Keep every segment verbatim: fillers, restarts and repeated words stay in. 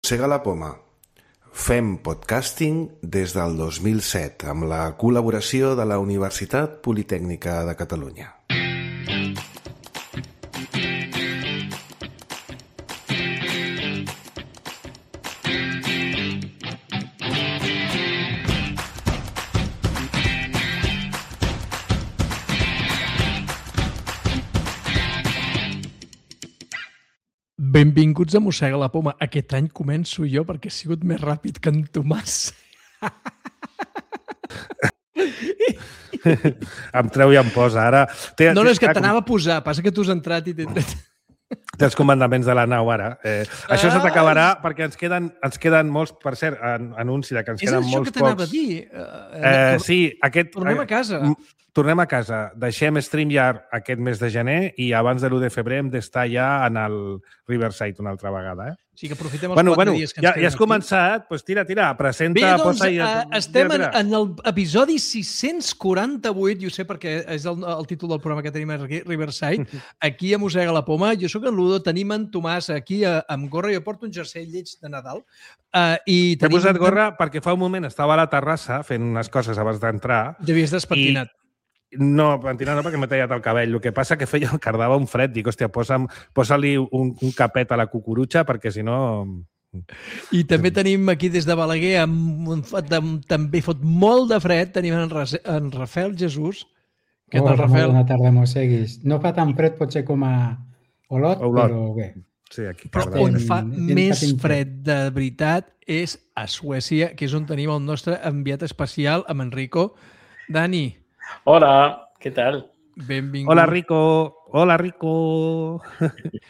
Mossega la poma. Fem podcasting des del dos mil set amb la col·laboració de la Universitat Politècnica de Catalunya. Benvinguts a Mossega la poma. Aquest any començo jo perquè he sigut més ràpid que en Tomàs. Em treu i em posa. Ara... Té, no, no, és que t'anava a posar. Passa que tu has entrat i t'he tret. Té els comandaments de la nau, ara. Eh, ah! Això se t'acabarà perquè ens queden, ens queden molts, per cert, an, anunci de que ens és queden molts pocs. És això que t'anava a dir. Uh, eh, sí, aquest... Tornem a casa. Tornem a casa. Deixem StreamYard aquest mes de gener i abans de l'u de febrer hem d'estar ja en el Riverside una altra vegada. Eh? Sí, que aprofitem els bueno, quatre bueno, dies que ens ja, queden ja has aquí. Començat, doncs tira, tira, presenta, Bé, doncs, posa i... Uh, estem en, en l'episodi sis-cents quaranta-vuit, i ho sé perquè és el, el títol del programa que tenim aquí, Riverside, aquí a Mossega la Poma. Jo sóc en Ludo, tenim en Tomàs aquí a, amb gorra, jo porto un jersei lleig de Nadal. Uh, i T'he posat gorra perquè fa un moment estava a la terrassa fent unes coses abans d'entrar. T'havies despentinat. I... No, pentinat no, perquè m'he tallat el cabell. El que passa que feia, cardava un fred. Dic, hòstia, posa-li posa un, un capet a la cucurutxa perquè, si no... I també tenim aquí des de Balaguer, amb, amb, també fot molt de fred, tenim en, en Rafael Jesús. Què tal, Rafael? Bona tarda, mosseguis. No fa tan fred, potser com a Olot, Olot. Però bé. Sí, aquí però on fa més fred de veritat és a Suècia, que és on tenim el nostre enviat especial, amb Enrico. Dani. Hola, què tal? Benvingut. Hola, Rico. Hola, Rico.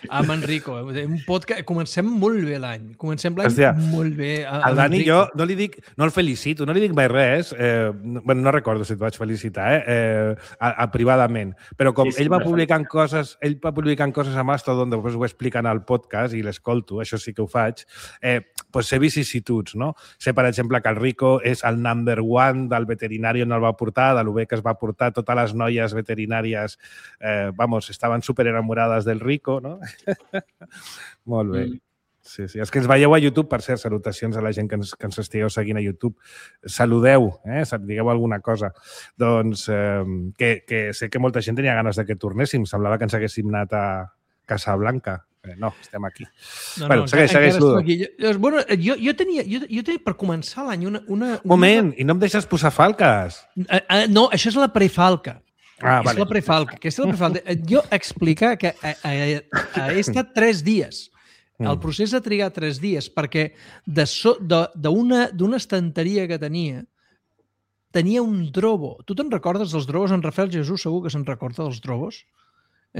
Amb Enrico. Un podcast... Comencem molt bé l'any. Comencem l'any molt bé. El Dani, jo no li dic... No el felicito, no li dic mai res. Eh, no, bueno, no recordo si et vaig felicitar, eh? eh a, a, privadament. Però com sí, sí, ell va publicant coses, ell va publicant coses a Mastodon, després ho expliquen al podcast i l'escolto, això sí que ho faig, eh, doncs sé vicissituds, no? Sé, per exemple, que el Rico és el number one del veterinari on el va portar, de lo bé que es va portar, totes les noies veterinàries, eh, vamos, estaven super enamorades del Rico, no? Molt bé. Mm. Sí, sí. És que ens veieu a YouTube, per cert, salutacions a la gent que ens, que ens estigueu seguint a YouTube. Saludeu, eh? Digueu alguna cosa. Doncs eh, que, que sé que molta gent tenia ganes de que tornéssim. Semblava que ens haguéssim anat a Casablanca. Eh, no, estem aquí. No, bueno, no, segueix, segueix, Ludo. Jo, bueno, jo, jo, tenia, jo, jo tenia, per començar l'any, una, una... Moment, una... i no em deixes posar falques. Uh, uh, no, això és la prefalca. Ah, és vale. la prefalca. Aquesta és la prefalca. Jo explicar que he, he, he estat tres dies. El procés ha trigat tres dies perquè d'una so, estanteria que tenia, tenia un drobo. Tu te'n recordes dels drobos? En Rafael Jesús segur que se'n recorda dels drobos.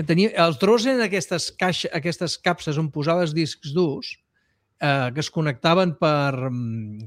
Tenia, els drobos eren aquestes, caixa, aquestes capses on posaves discs durs eh, que es connectaven per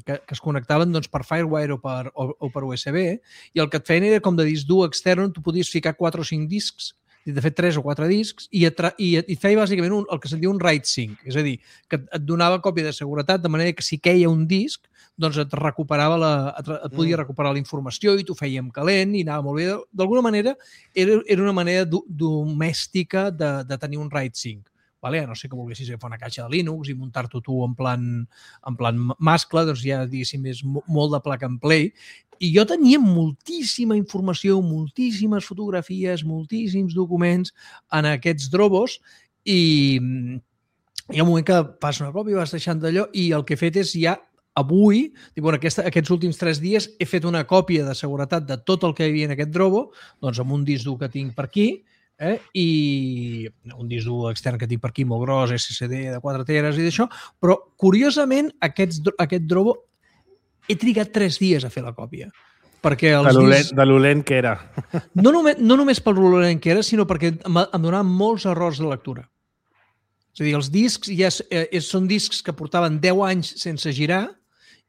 que, que es connectaven doncs, per Firewire o per, o, o per U S B, i el que et feien era com de disc dur extern on tu podies ficar quatre o cinc discs, de fet tres o quatre discs, i et, i et, i et feia bàsicament un, el que se'n diu un write sync, és a dir, que et, et donava còpia de seguretat, de manera que si queia un disc, doncs et recuperava la, et, et podia recuperar la informació i t'ho fèiem calent i anava molt bé. D'alguna manera era, era una manera do, domèstica de, de tenir un write sync. Vale? A no sé que volguessis agafar una caixa de Linux i muntar-t'ho tu en plan, en plan mascle, doncs ja, diguéssim, és molt de plug and play. I jo tenia moltíssima informació, moltíssimes fotografies, moltíssims documents en aquests drobos i hi ha un moment que fas una còpia, vas deixant d'allò i el que he fet és ja avui, bueno, aquesta, aquests últims tres dies, he fet una còpia de seguretat de tot el que hi havia en aquest drobo, doncs amb un disc dur que tinc per aquí, Eh? i un disc dur extern que tinc per aquí molt gros, S S D de quatre teres i d'això, però curiosament aquests, aquest drobo he trigat tres dies a fer la còpia. Perquè els de, l'olent, discs... de l'olent que era. No només, no només per l'olent que era, sinó perquè em, em donaven molts errors de lectura. És a dir, els discs ja eh, són discs que portaven deu anys sense girar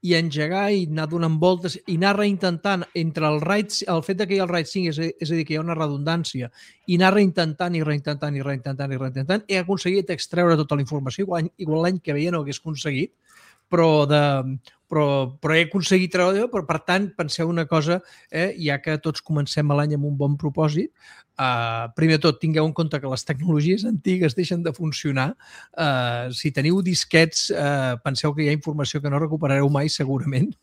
i engegar i anar donant voltes i anar reintentant entre el write, el fet que hi ha el write sync, és a, és a dir, que hi ha una redundància, i anar reintentant i reintentant i reintentant i reintentant, he aconseguit extreure tota la informació, igual, igual l'any que ve ja no hagués aconseguit, però de però, però he aconseguit treure, però per tant, penseu una cosa, eh, ja que tots comencem l'any amb un bon propòsit, eh, primer de tot, tingueu en compte que les tecnologies antigues deixen de funcionar. Eh, si teniu disquets, eh, penseu que hi ha informació que no recuperareu mai, segurament,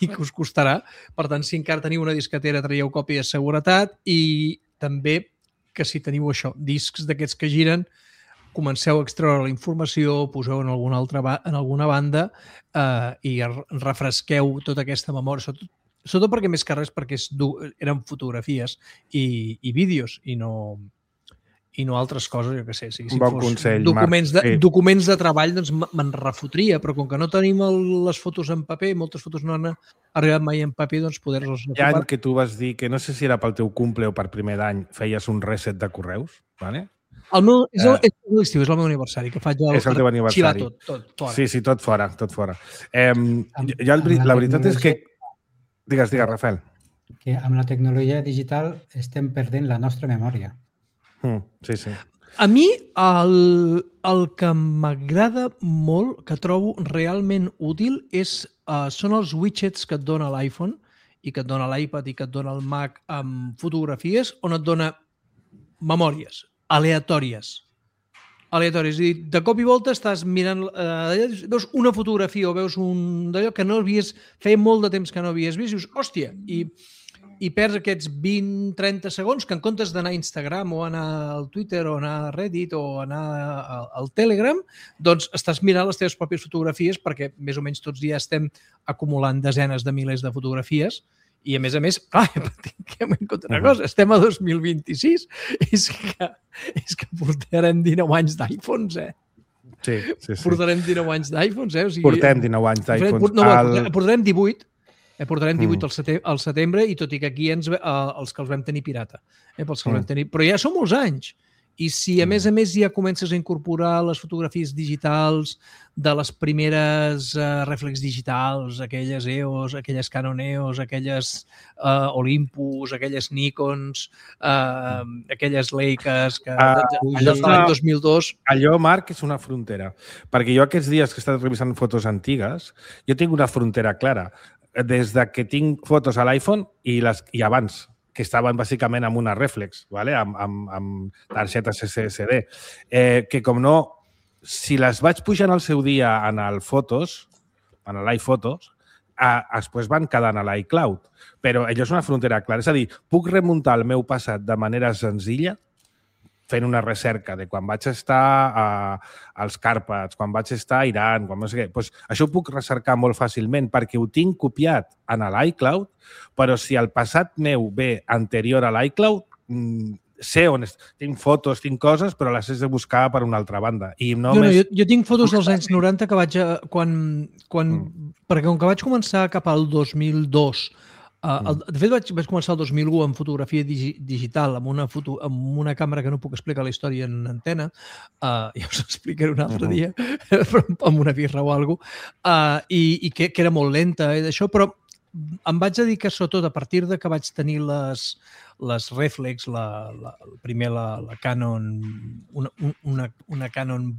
i que us costarà. Per tant, si encara teniu una disquetera, traieu còpia de seguretat i també que si teniu això, discs d'aquests que giren, comenceu a extreure la informació, poseu en alguna altra en alguna banda eh, i refresqueu tota aquesta memòria, sobretot, sobretot perquè més que res perquè és, eren fotografies i, i vídeos i no, i no altres coses, jo què sé. Si, si bon consell, documents Marc. De, sí. documents de treball, doncs me'n refotria, però com que no tenim el, les fotos en paper, moltes fotos no han arribat mai en paper, doncs poder-los recuperar. Hi ha que tu vas dir que no sé si era pel teu cumple o per primer d'any feies un reset de correus, ¿vale? El meu, és, el, és l'estiu, és el meu aniversari, que faig el, és el teu aniversari. Tot, tot, fora. Sí, sí, tot fora, tot fora. Eh, amb, ja el, la veritat és que... Digues, digues, Rafael. Que amb la tecnologia digital estem perdent la nostra memòria. Mm, sí, sí. A mi el, el que m'agrada molt, que trobo realment útil, és, uh, són els widgets que et dona l'iPhone i que et dona l'iPad i que et dona el Mac amb fotografies, on et dona memòries aleatòries. Aleatòries. És a dir, de cop i volta estàs mirant, eh, veus una fotografia o veus un d'allò que no havies, feia molt de temps que no havies vist i dius, hòstia, i, i perds aquests vint a trenta segons que en comptes d'anar a Instagram o anar al Twitter o anar a Reddit o anar al Telegram, doncs estàs mirant les teves pròpies fotografies perquè més o menys tots ja estem acumulant desenes de milers de fotografies. I, a més a més, clar, tinguem en compte una cosa, estem a dos mil vint-i-sis, és que, és que portarem dinou anys d'iPhones, eh? Sí, sí, sí. Portarem dinou anys d'iPhones, eh? O sigui, portem dinou anys d'iPhones. No, el... portarem divuit, eh? portarem divuit mm. al, setembre, al setembre, i tot i que aquí ens, eh, els que els vam tenir pirata. Eh? Pels que els mm. vam tenir... Però ja són molts anys. I si, a més a més, ja comences a incorporar les fotografies digitals de les primeres uh, reflex digitals, aquelles E O S, aquelles Canon E O S, aquelles uh, Olympus, aquelles Nikons, uh, aquelles Leicas, que uh, allò de l'any dos mil dos... Allò, Marc, és una frontera. Perquè jo aquests dies que he estat revisant fotos antigues, jo tinc una frontera clara. Des de que tinc fotos a l'iPhone i, les, i abans, que estaven bàsicament amb una reflex, ¿vale? amb, amb, amb targetes S S D, eh, que com no, si les vaig pujant al seu dia en el Fotos, en l'iPhotos, eh, després van quedant a l'iCloud. Però allò és una frontera clara. És a dir, puc remuntar el meu passat de manera senzilla fent una recerca de quan vaig estar a, als Càrpats, quan vaig estar a Iran, quan no sé què. Pues això ho puc recercar molt fàcilment perquè ho tinc copiat en l'iCloud, però si el passat meu ve anterior a l'iCloud, sé on és. Tinc fotos, tinc coses, però les he de buscar per una altra banda. I no jo, més... no, jo, jo tinc fotos dels anys noranta que vaig... A, quan, quan, mm. Perquè com que vaig començar cap al dos mil dos... Uh, el, de fet, vaig, vaig començar el dos mil u amb fotografia digi, digital, amb una, foto, amb una càmera que no puc explicar la història en antena, uh, ja us explicaré un altre uh -huh. dia, però amb una birra o alguna cosa, uh, i, i que, que era molt lenta i d'això, però em vaig dedicar sobretot a partir de que vaig tenir les, les reflex, la, la, primer la, la Canon, una, una, una Canon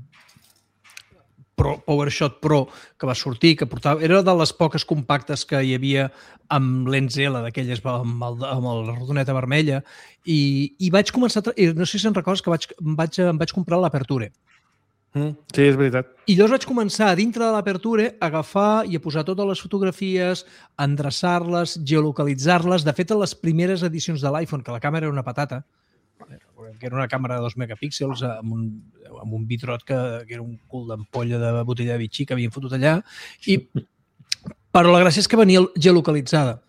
Pro, PowerShot Pro que va sortir, que portava... Era de les poques compactes que hi havia amb lents L, d'aquelles amb, el, amb la rodoneta vermella, i, i vaig començar... A, no sé si se'n recordes que vaig, em, vaig, em vaig comprar l'Aperture. Mm, sí, és veritat. I llavors vaig començar a dintre de l'Aperture a agafar i a posar totes les fotografies, endreçar-les, geolocalitzar-les. De fet, a les primeres edicions de l'iPhone, que la càmera era una patata, que era una càmera de dos megapíxels amb un, amb un bitrot que, que era un cul d'ampolla de botella de bitxí que havien fotut allà, i, però la gràcia és que venia geolocalitzada.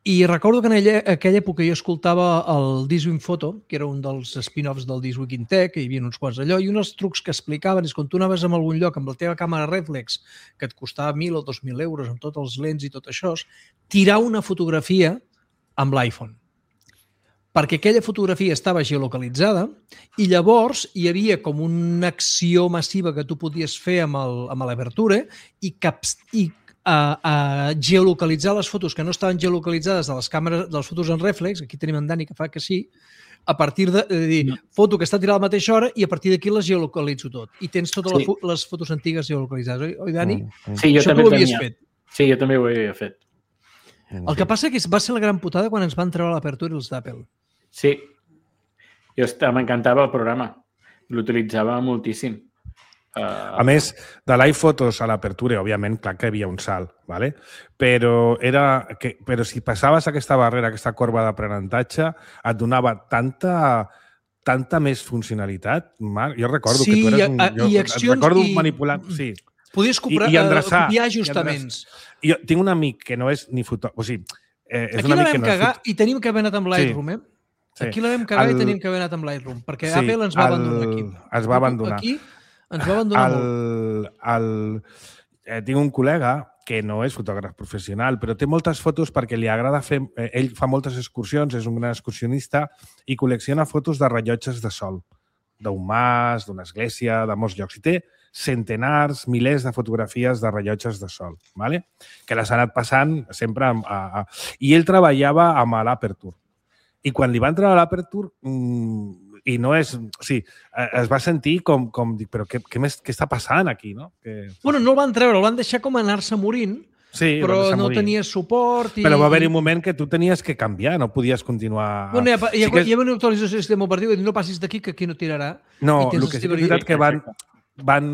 I recordo que en aquella, aquella època jo escoltava el Diswin Photo, que era un dels spin-offs del Diswin in Tech, que hi havia uns quants d'allò, i un dels trucs que explicaven és quan tu anaves a algun lloc amb la teva càmera reflex, que et costava mil o dos mil euros amb tots els lents i tot això, tirar una fotografia amb l'iPhone. Perquè aquella fotografia estava geolocalitzada i llavors hi havia com una acció massiva que tu podies fer amb l'Aperture i, caps, i a, a geolocalitzar les fotos que no estaven geolocalitzades de les càmeres, de les fotos en reflex, aquí tenim en Dani que fa que sí, a partir de, de dir, no. foto que està tirada a la mateixa hora i a partir d'aquí les geolocalitzo tot. I tens totes sí. les fotos antigues geolocalitzades, oi, oi Dani? Sí, jo Això també tu ho havies tenia. fet. Sí, jo també ho havia fet. El que passa que va ser la gran putada quan ens van treure l'apertura els d'Apple. Sí. Jo m'encantava el programa. L'utilitzava moltíssim. A més, de l'iPhotos a l'apertura, òbviament, clar que hi havia un salt, ¿vale? però, era que, però si passaves aquesta barrera, aquesta corba d'aprenentatge, et donava tanta, tanta més funcionalitat. Marc. Jo recordo sí, que tu eres un... I, jo, i accions... recordo i... manipulant... Sí. Podies comprar, I, i endreçar, copiar ajustaments. I jo tinc un amic que no és ni fotògraf... O sigui, eh, és Aquí un la amic que vam no cagar és fot... i tenim que haver anat amb Lightroom, eh? Sí. Aquí la vam cagar el... i tenim que haver anat amb Lightroom, perquè sí, Apple ens va el... abandonar aquí. Es va abandonar. Aquí ens va abandonar el... molt. El... Eh, tinc un col·lega que no és fotògraf professional, però té moltes fotos perquè li agrada fer... Eh, ell fa moltes excursions, és un gran excursionista i col·lecciona fotos de rellotges de sol, d'un mas, d'una església, de molts llocs. I té centenars, milers de fotografies de rellotges de sol, ¿vale? Que les ha anat passant sempre a, a, a... I ell treballava amb l'Aperture. I quan li van treure a l'Aperture, mmm, i no és... O sigui, es va sentir com... com dic, però què, què, més, què està passant aquí, no? Que... Bueno, no el van treure, el van deixar com anar-se morint, sí, però no morir. Tenia suport. I... Però va haver-hi un moment que tu tenies que canviar, no podies continuar... Bueno, hi ha, hi ha, sí que... hi ha una actualització del sistema operatiu i no passis d'aquí, que aquí no tirarà. No, el que sí que és veritat que van, van,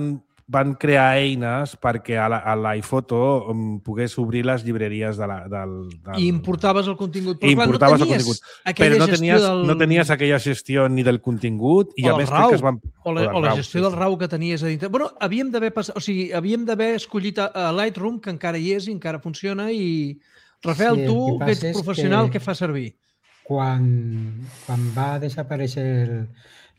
van crear eines perquè a l'iPhoto um, pogués obrir les llibreries de la, del, del... I importaves el contingut. Però, I clar, importaves no el contingut. Però no tenies, del... no tenies aquella gestió ni del contingut i o a més RAW, crec que es van... O la, o la gestió sí, del RAW que tenies a dintre. Bueno, havíem d'haver passat... O sigui, havíem d'haver escollit a, a Lightroom, que encara hi és i encara funciona, i... Rafael, sí, tu que ets professional, que què fa servir? Quan, quan va desaparèixer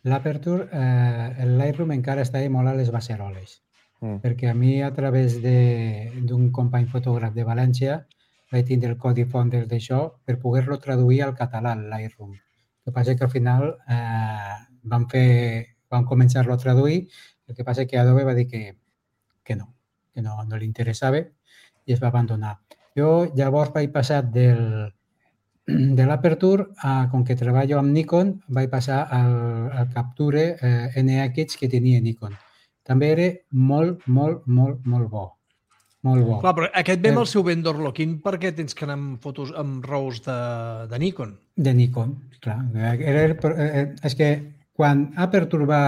l'Aperture, eh, el Lightroom encara estava molt a les beceroles. Mm. Perquè a mi, a través d'un company fotògraf de València, vaig tindre el codi font d'això per poder-lo traduir al català, al Lightroom. El que passa que al final eh, vam, fer, vam començar-lo a traduir, el que passa que Adobe va dir que, que no, que no, no li interessava i es va abandonar. Jo llavors vaig passar del, de l'Aperture, a, com que treballo amb Nikon, vaig passar al, al Capture eh, N X que tenia Nikon. També era molt, molt, molt, molt bo. Molt bo. Clar, però aquest ve amb el seu vendor lock-in perquè tens que anar amb fotos amb RAWs de, de Nikon. De Nikon, clar. Era, és que quan Aperture va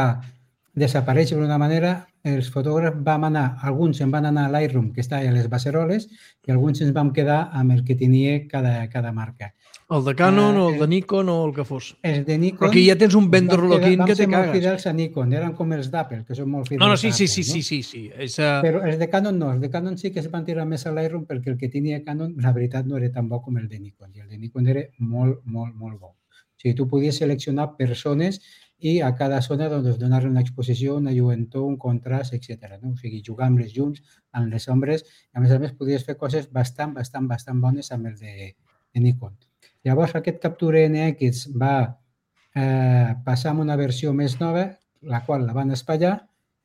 desaparèixer d'una manera, els fotògrafs vam anar, alguns se'n van anar a Lightroom, que està a les beceroles, i alguns ens vam quedar amb el que tenia cada, cada marca. El de Canon, uh, o el de Nikon, o el que fos. El de Nikon... Però aquí ja tens un vendor lock-in que te cagues. Vam ser molt fidels a Nikon, eren com els d'Apple, que són molt fidels no, no, sí, a sí, Apple. Sí, sí, sí, sí. És, uh... Però els de Canon no, els de Canon sí que es van tirar més a Lightroom perquè el que tenia Canon, la veritat, no era tan bo com el de Nikon. I el de Nikon era molt, molt, molt bo. O sigui, tu podies seleccionar persones i a cada zona doncs, donar-li una exposició, una lluentor, un contrast, etcètera. No? O sigui, jugar amb les llums, amb les ombres, i a més a més podies fer coses bastant, bastant, bastant bones amb el de, de Nikon. Llavors, aquest Capture N X va eh, passar a una versió més nova, la qual la van espatllar,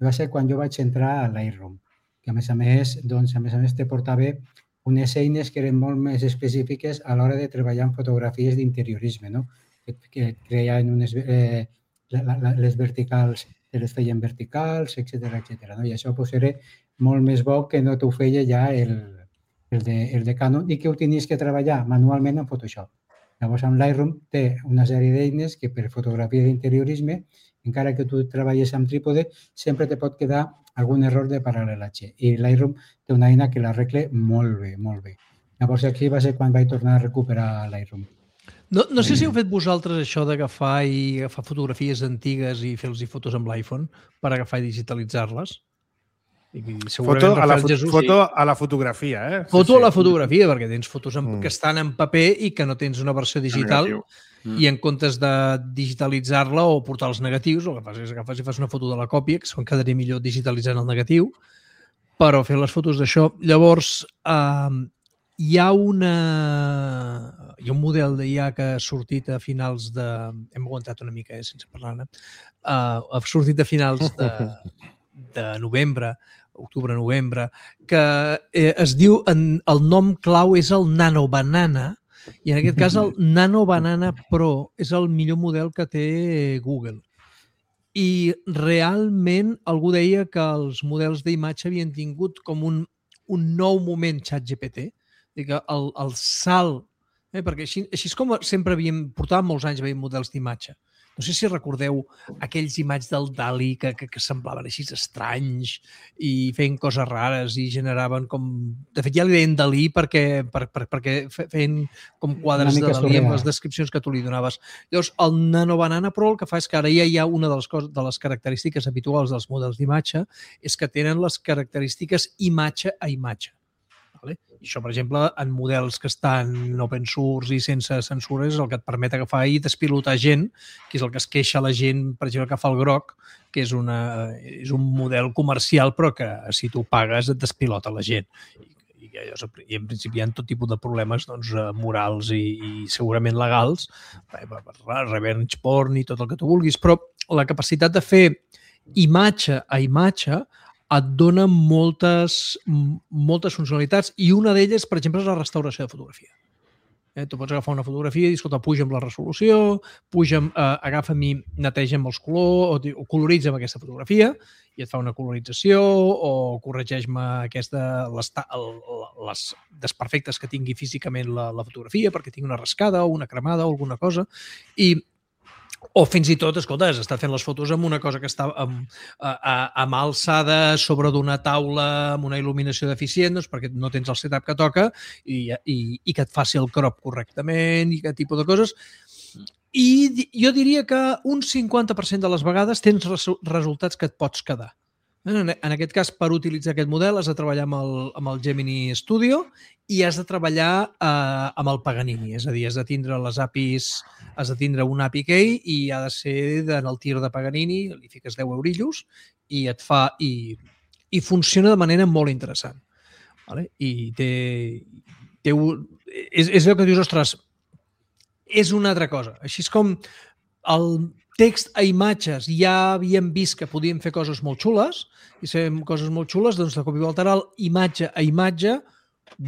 i va ser quan jo vaig entrar a Lightroom, que a més a més, doncs, a més a més te portava unes eines que eren molt més específiques a l'hora de treballar en fotografies d'interiorisme, no? que, que creien unes, eh, la, la, les verticals, te les feien verticals, etcètera, etcètera. No? I això pues, era molt més bo que no t'ho feia ja el, el, de, el de Canon i que ho tenies que treballar manualment en Photoshop. Llavors, amb Lightroom té una sèrie d'eines que per fotografia d'interiorisme, encara que tu treballes amb trípode, sempre te pot quedar algun error de paral·lelatge. I Lightroom té una eina que l'arregla molt bé, molt bé. Llavors, aquí va ser quan vaig tornar a recuperar Lightroom. No, no sé si heu fet vosaltres això d'agafar i agafar fotografies antigues i fer-los fotos amb l'iPhone per agafar i digitalitzar-les. Foto a, la fot foto a la fotografia, eh? Foto sí, sí. a la fotografia, perquè tens fotos en, mm. que estan en paper i que no tens una versió digital mm. i en comptes de digitalitzar-la o portar els negatius, el que fas és agafar i fas una foto de la còpia, que se'n quedaria millor digitalitzant el negatiu, però fer les fotos d'això. Llavors, eh, hi ha una... Hi ha un model d'I A que ha sortit a finals de... Hem aguantat una mica, eh, sense parlar-ne. Uh, ha sortit a finals de, de novembre, octubre-novembre, que eh, es diu, en, el nom clau és el Nano Banana, i en aquest cas el Nano Banana Pro és el millor model que té Google. I realment algú deia que els models d'imatge havien tingut com un, un nou moment ChatGPT, que el, el salt, eh, perquè així, així és com sempre havíem, portàvem molts anys veient models d'imatge. No sé si recordeu aquells imatges del Dali que, que, que semblaven així estranys i feien coses rares i generaven com... De fet, ja li deien Dalí perquè, per, per, perquè feien com quadres de Dalí amb les descripcions que tu li donaves. Llavors, el Nano Banana Pro el que fa és que ara ja hi ha una de les, coses, de les característiques habituals dels models d'imatge és que tenen les característiques imatge a imatge. Vale? I això, per exemple, en models que estan open source i sense censura és el que et permet agafar i despilotar gent, que és el que es queixa la gent, per exemple, que fa el groc, que és, una, és un model comercial però que si tu pagues et despilota la gent. I, i, i en principi hi ha tot tipus de problemes doncs, morals i, i segurament legals, revenge porn i tot el que tu vulguis, però la capacitat de fer imatge a imatge et dona moltes, moltes funcionalitats i una d'elles, per exemple, és la restauració de fotografia. Eh, tu pots agafar una fotografia i dir, escolta, puja amb la resolució, puja, eh, agafa'm i neteja'm els colors o, o coloritza'm aquesta fotografia i et fa una colorització o corregeix-me aquesta, les, les desperfectes que tingui físicament la, la fotografia perquè tingui una rascada o una cremada o alguna cosa i o fins i tot, escolta, has estat fent les fotos amb una cosa que està amb, amb alçada sobre d'una taula amb una il·luminació deficient, doncs perquè no tens el setup que toca i, i, i que et faci el crop correctament i aquest tipus de coses. I jo diria que un cinquanta per cent de les vegades tens resultats que et pots quedar. En aquest cas, per utilitzar aquest model, has de treballar amb el, amb el Gemini Studio i has de treballar eh, amb el Paganini. És a dir, has de tindre les A P Is, has de tindre un A P I Key i ha de ser en el tir de Paganini, li fiques deu eurillos i et fa... I, i funciona de manera molt interessant. Vale? I té... té un, és, és allò que dius, ostres, és una altra cosa. Així és com el text a imatges ja havíem vist que podíem fer coses molt xules i fem coses molt xules, doncs de cop i volta ara el imatge a imatge,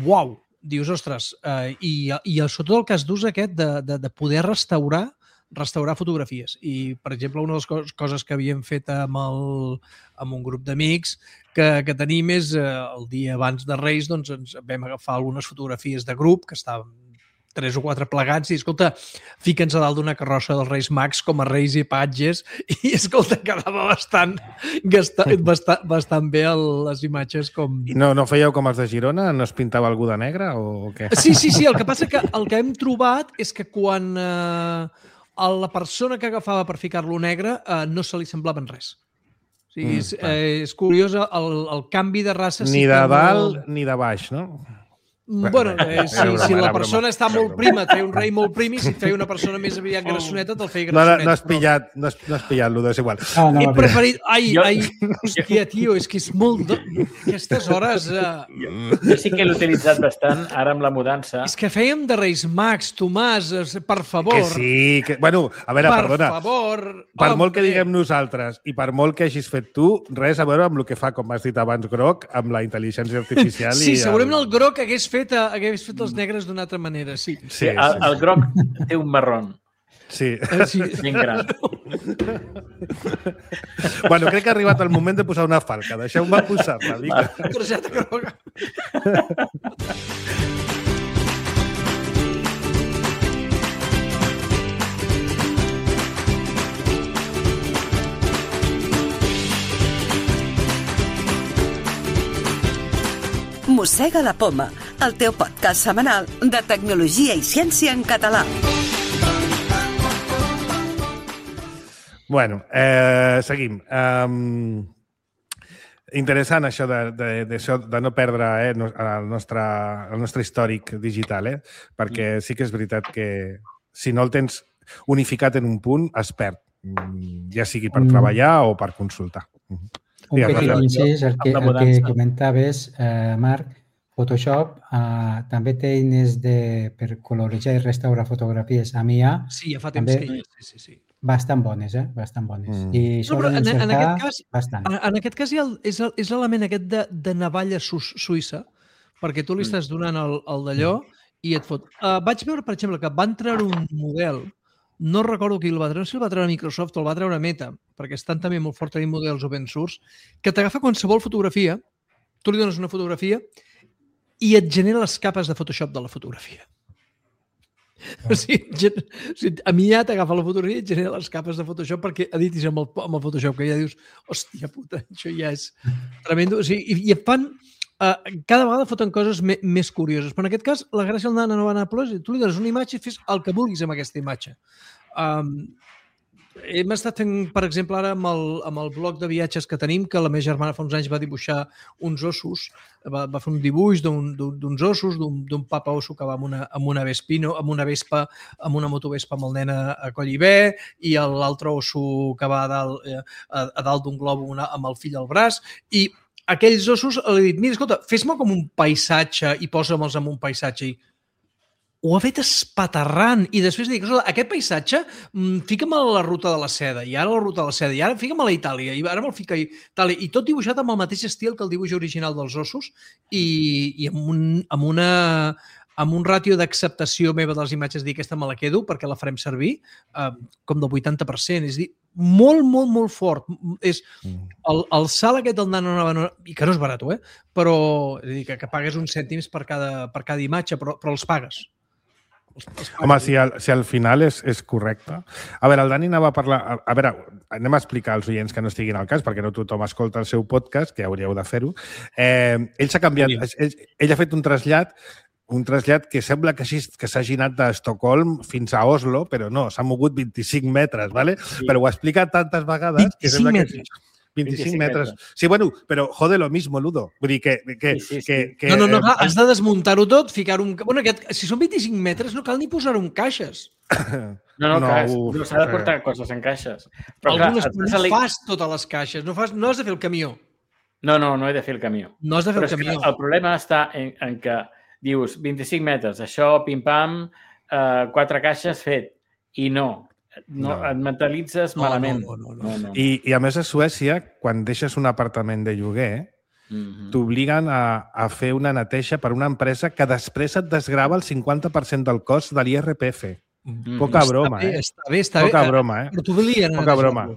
uau, dius, ostres, eh, i, i sobretot el cas d'ús aquest de, de, de poder restaurar restaurar fotografies. I, per exemple, una de les coses que havíem fet amb, el, amb un grup d'amics que, que tenim és eh, el dia abans de Reis doncs ens vam agafar algunes fotografies de grup que estaven tres o quatre plegats i, escolta, fica'ns a dalt d'una carrossa dels Reis Mags com a reis i patges i, escolta, quedava bastant, bastant, bastant bé el, les imatges com... I no, no fèieu com els de Girona? No es pintava algú de negre o què? Sí, sí, sí. El que passa que el que hem trobat és que quan eh, la persona que agafava per ficar-lo negre eh, no se li semblava en res. O sigui, mm, és, eh, és curiós el, el canvi de raça... Ni de dalt no... ni de baix, no? Bueno, eh, si, broma, si la persona està molt prima, et feia un rei molt prim i si et feia una persona més aviat grassoneta, te'l feia grassoneta. No, no, has pillat, no has, no has pillat, Ludo, és igual. Ah, no, He preferit... Ai, jo... ai, hòstia, tio, és que és molt... Do... Aquestes hores... Uh... Jo sí que l'he utilitzat bastant, ara amb la mudança. És que fèiem de Reis Mags, Tomàs, per favor. Que sí, que... Bueno, a veure, per perdona. Per favor. Per home. Molt que diguem nosaltres i per molt que hagis fet tu, res a veure amb el que fa, com has dit abans, Groc, amb la intel·ligència artificial. Sí, i segurament el... el Groc hagués fet, hagués fet els negres d'una altra manera, sí. Sí, el, el groc té un marrón. Sí. sí. Ben gran. Bueno, crec que ha arribat el moment de posar una falca. Deixeu-me posar-la. Una targeta groga. Mossega la poma, el teu podcast setmanal de tecnologia i ciència en català. Bueno, eh, seguim. Um, interessant això de, de, de, de no perdre eh, el, nostre, el nostre històric digital, eh? Perquè sí que és veritat que si no el tens unificat en un punt, es perd, ja sigui per treballar o per consultar. Un petit incís, el que, el que comentaves, eh, Marc, Photoshop eh, també té eines de, per coloritzar i restaurar fotografies amb I A. Sí, ja fa temps que hi és. Sí, sí, sí. Bastant bones, eh? Bastant bones. Mm. I no, però en, en, aquest cas, bastant. En, en aquest cas hi ha el, és, el, és l'element aquest de, de navalla su suïssa, perquè tu li estàs donant el, el d'allò i et fot. Uh, vaig veure, per exemple, que van treure un model, no recordo qui el va treure, no sé si el va treure Microsoft o el va treure Meta, perquè estan també molt fort tenint models open source, que t'agafa qualsevol fotografia, tu li dones una fotografia i et genera les capes de Photoshop de la fotografia. O sigui, gen... o sigui, a mi ja t'agafa la fotografia i et genera les capes de Photoshop perquè editis amb el, amb el Photoshop, que ja dius, hòstia puta, això ja és tremendo. O sigui, i, i et fan... Uh, cada vegada foten coses me, més curioses. Però en aquest cas, la gràcia del Nano Banana Plus és tu li dones una imatge i fes el que vulguis amb aquesta imatge. Um, hem estat fent, per exemple, ara amb el, amb el blog de viatges que tenim, que la meva germana fa uns anys va dibuixar uns ossos, va, va fer un dibuix d'uns ossos, d'un papa osso que va amb una, amb una vespino, amb una vespa, amb una motovespa amb el nen a, a coll i bé, i l'altre osso que va a dalt, a, a dalt d'un globo una, amb el fill al braç, i aquells ossos, li he dit, mira, escolta, fes-me com un paisatge i posa-me'ls en un paisatge. I ho ha fet espaterrant. I després dic, aquest paisatge, fica'm a la ruta de la seda, i ara la ruta de la seda, i ara fica'm a la Itàlia, i ara me'l fica a Itàlia. I tot dibuixat amb el mateix estil que el dibuix original dels ossos i, i amb, un, amb una... amb un ràtio d'acceptació meva de les imatges, dir aquesta me la quedo perquè la farem servir, eh, com del vuitanta per cent. És dir, molt, molt, molt fort. És el, el salt aquest del Nano Banana, i que no és barat, eh? Però és a dir, que, que pagues uns cèntims per cada, per cada imatge, però, però els pagues. Els, els pagues. Home, si al, si al final és, és correcte. A veure, el Dani anava a parlar... A, a veure, anem a explicar als oients que no estiguin al cas, perquè no tothom escolta el seu podcast, que hauríeu de fer-ho. Eh, ell s'ha canviat... Ell, ell ha fet un trasllat un trasllat que sembla que s'hagi anat d'Estocolm fins a Oslo, però no, s'ha mogut vint-i-cinc metres, ¿vale? Sí. Però ho ha explicat tantes vegades... vint-i-cinc que sembla metres. Que... vint-i-cinc metres. Sí, bueno, però jode lo mismo, Ludo. Vull dir que... que, sí, sí, sí. que, que no, no, no, clar, has de desmuntar-ho tot, ficar-ho... Un... Bueno, aquest, si són vint-i-cinc metres, no cal ni posar-ho en caixes. No, no, no, uf, no s'ha de portar eh. coses en caixes. Però algunes clar, no fas totes les caixes, no, fas, no has de fer el camió. No, no, no he de fer el camió. No has de fer però el camió. El problema està en, en que dius, vint-i-cinc metres, això, pim-pam, eh, quatre caixes, fet. I no, no, no. et mentalitzes no, malament. No, no, no, no. No, no. I, I a més a Suècia, quan deixes un apartament de lloguer, mm-hmm. t'obliguen a, a fer una neteja per una empresa que després et desgrava el cinquanta per cent del cost de l'I R P F. Mm-hmm. Poca broma, està bé, eh? Està bé, està Poca bé. broma, eh? Però t'obliguen Poca broma.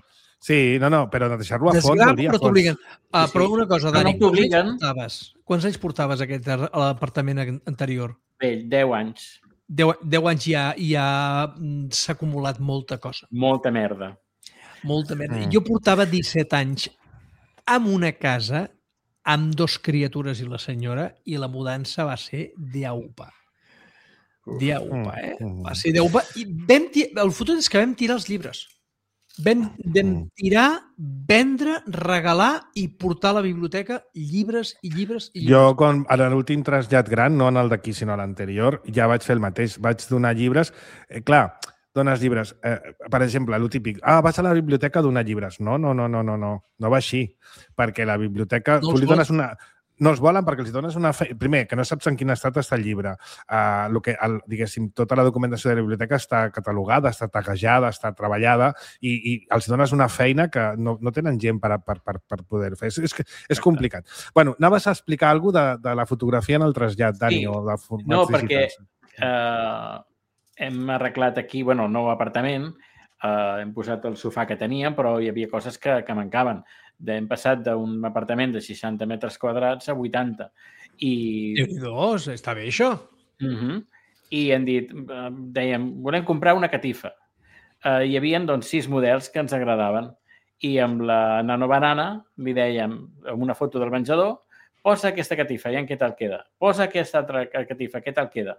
Sí, no, no, però netejar-lo a fons, hauria però t'obliguen. Uh, sí, però una cosa, Dani, no quants anys portaves? Quants anys portaves aquest, a l'apartament anterior? Bé, deu anys. Deu, deu anys ja, ja s'ha acumulat molta cosa. Molta merda. Molta merda. Mm. Jo portava disset anys en una casa amb dos criatures i la senyora i la mudança va ser d'aupa. D'aupa, eh? Va ser d'aupa. I vam el fotut és que vam tirar els llibres. Vam, vam tirar, vendre, regalar i portar a la biblioteca llibres i llibres i llibres. Jo, com a l'últim trasllat gran, no en el d'aquí, sinó a l'anterior, ja vaig fer el mateix. Vaig donar llibres. Eh, clar, dones llibres. Eh, per exemple, el típic. Ah, vas a la biblioteca a donar llibres. No, no, no, no, no, no. No va així. Perquè la biblioteca... No tu li dones una... No els volen perquè els dones una feina... Primer, que no saps en quin estat està el llibre. Uh, lo que, el, diguéssim, tota la documentació de la biblioteca està catalogada, està taguejada, està treballada i, i els dones una feina que no, no tenen gent per, per, per, per poder fer. És, és, és complicat. Bueno, anaves a explicar alguna cosa de, de la fotografia en el trasllat, Dani, sí. o de formats no, digitals. No, perquè uh, hem arreglat aquí, bueno, el nou apartament, uh, hem posat el sofà que teníem, però hi havia coses que, que mancaven. Hem passat d'un apartament de seixanta metres quadrats a vuitanta. I... Déu-n'hi-do, està bé això. Uh-huh. I hem dit, dèiem, volem comprar una catifa. Uh, hi havia doncs, sis models que ens agradaven. I amb la Nano Banana li dèiem, amb una foto del menjador, posa aquesta catifa, i en què tal queda? Posa aquesta altra catifa, què tal queda?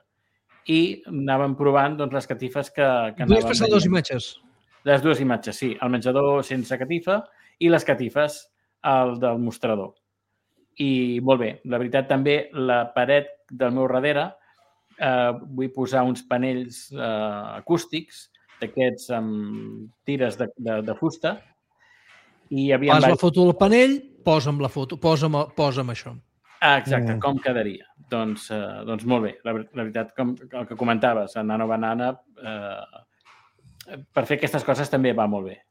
I anàvem provant doncs, les catifes que, que anàvem... Vull passar dues imatges. Les dues imatges, sí. El menjador sense catifa i les catifes al del mostrador. I molt bé, la veritat també, la paret del meu darrere, eh, vull posar uns panells eh, acústics, d'aquests amb tires de, de, de fusta. I havia Fas la foto del panell, posa'm la foto, posa'm, posa'm això. Ah, exacte, mm. com quedaria? Doncs, eh, doncs molt bé, la, la veritat, com el que comentaves, a Nano Banana, eh, per fer aquestes coses també va molt bé.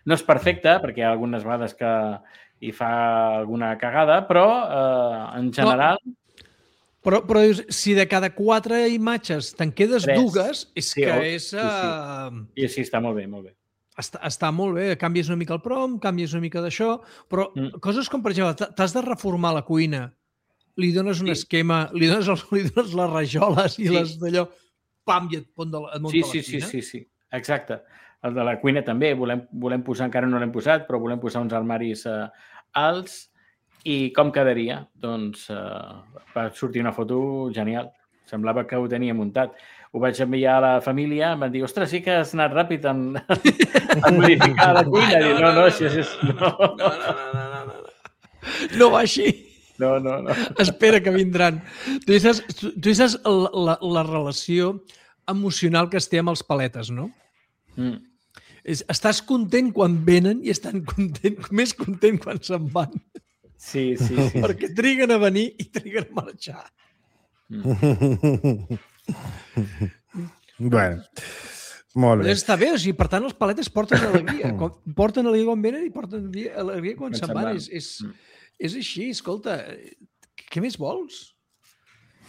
No és perfecte, perquè hi ha algunes vegades que hi fa alguna cagada, però eh, en general... No, però, però dius, si de cada quatre imatges te'n quedes Tres. dues, és sí, que oh, és... Sí, sí. I sí, està molt bé, molt bé. Està, està molt bé, canvies una mica el prom, canvies una mica d'això, però mm. coses com, per exemple, t'has de reformar la cuina li dones un Sí. esquema, li dones, el, li dones les rajoles i Sí. les d'allò, pam, i et, pon de la, et munta Sí, la sí, sí, cuina. sí, sí, exacte. El de la cuina també, volem, volem posar, encara no l'hem posat, però volem posar uns armaris eh, alts i com quedaria? Doncs eh, va sortir una foto genial. Semblava que ho tenia muntat. Ho vaig enviar a la família, em van dir, ostres, sí que has anat ràpid en, en modificar la cuina. I, no, no, això és... No, No, no, no, no, no, no. No va així. no, no. no. Espera que vindran. Tu saps, tu, tu saps la, la, la relació emocional que es té amb els paletes, no? Mm. És, estàs content quan venen i estan content, més content quan se'n van. Sí, sí, sí. Perquè triguen a venir i triguen a marxar. Bueno, molt bé. Però està bé, o sigui, per tant, els paletes porten alegria. Quan, porten alegria quan venen i porten alegria quan, Quan se'n se'n van. van. És, és, és així, escolta, què més vols?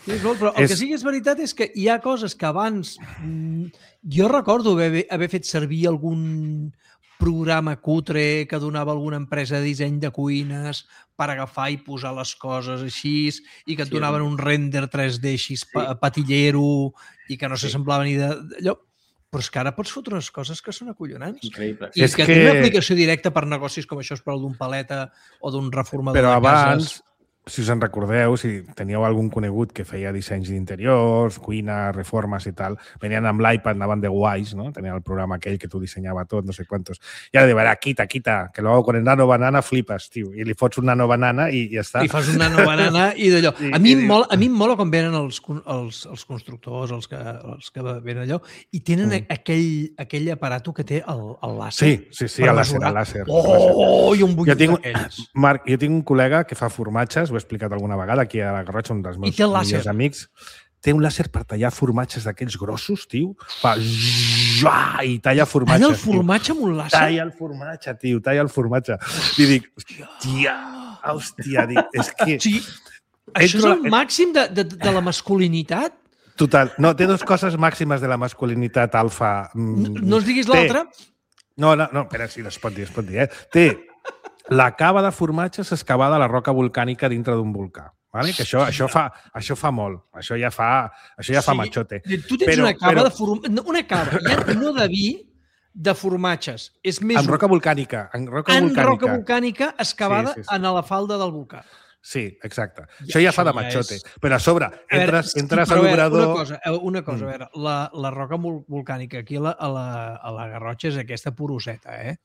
Què més vols? Però el És- que sí que és veritat és que hi ha coses que abans... mm, Jo recordo haver, haver fet servir algun programa cutre que donava alguna empresa de disseny de cuines per agafar i posar les coses així i que et Sí, donaven sí. un render tres D així pa- patillero i que no Sí. s'assemblava ni de- d'allò. Però és que ara pots fotre unes coses que són acollonants. Increïble. I És que, que- té una aplicació directa per negocis com això és per al d'un paleta o d'un reformador Però de abans, cases. si us en recordeu, si teníeu algun conegut que feia dissenys d'interiors, cuina, reformes i tal, venien amb l'iPad, anaven de guais, no? Tenien el programa aquell que tu dissenyava tot, no sé quantos. I ara diu, ara, quita, quita, que luego con el nano banana flipes, tio. I li fots un nano banana i ja està. I fas una nova banana i d'allò. I- A mi, i em diu- mola, a mi em mola quan venen els, con- els, els constructors, els que, els que venen allò, i tenen Mm. aquell, aquell aparato que té el, el làser. Sí, sí, sí, per a làser, mesurar. a làser. Oh, i un Jo butllet tinc, d'aquells. Marc, jo tinc un col·lega que fa formatges, ho he explicat alguna vegada aquí a la Garrotxa, un dels meus té el làser. millors amics. Té un làser per tallar formatges d'aquells grossos, tio. Fa zzzz, i talla formatges. Talla el tio. formatge amb un làser? Talla el formatge, tio, talla el formatge. I dic, hòstia, hòstia, dic, és que... O sigui, això és Entro- el màxim de, de, de la masculinitat? Total, no, té dues coses màximes de la masculinitat alfa. No, no ens diguis Té- l'altra? No, no, no, espera, sí, es pot dir, es pot dir, eh? Té la cava de formatges excavada a la roca volcànica dintre d'un volcà. Vale? Que això, això, fa, això fa molt. Això ja fa, això ja fa Sí, machote. Tu tens Però- una cava però- de formatges, una cava, ja no de vi, de formatges. És més En roca volcànica. En roca en volcànica. roca volcànica excavada Sí, sí, sí. en la falda del volcà. Sí, exacte. Ja, això ja fa això de ja machote. és- Però a sobre, A veure, entres, sí, entres a però a veure, l'obrador... Una cosa, eh, una cosa Mm. a veure, la, la roca vol- volcànica aquí a la, a la, a la Garrotxa és aquesta poroseta, eh?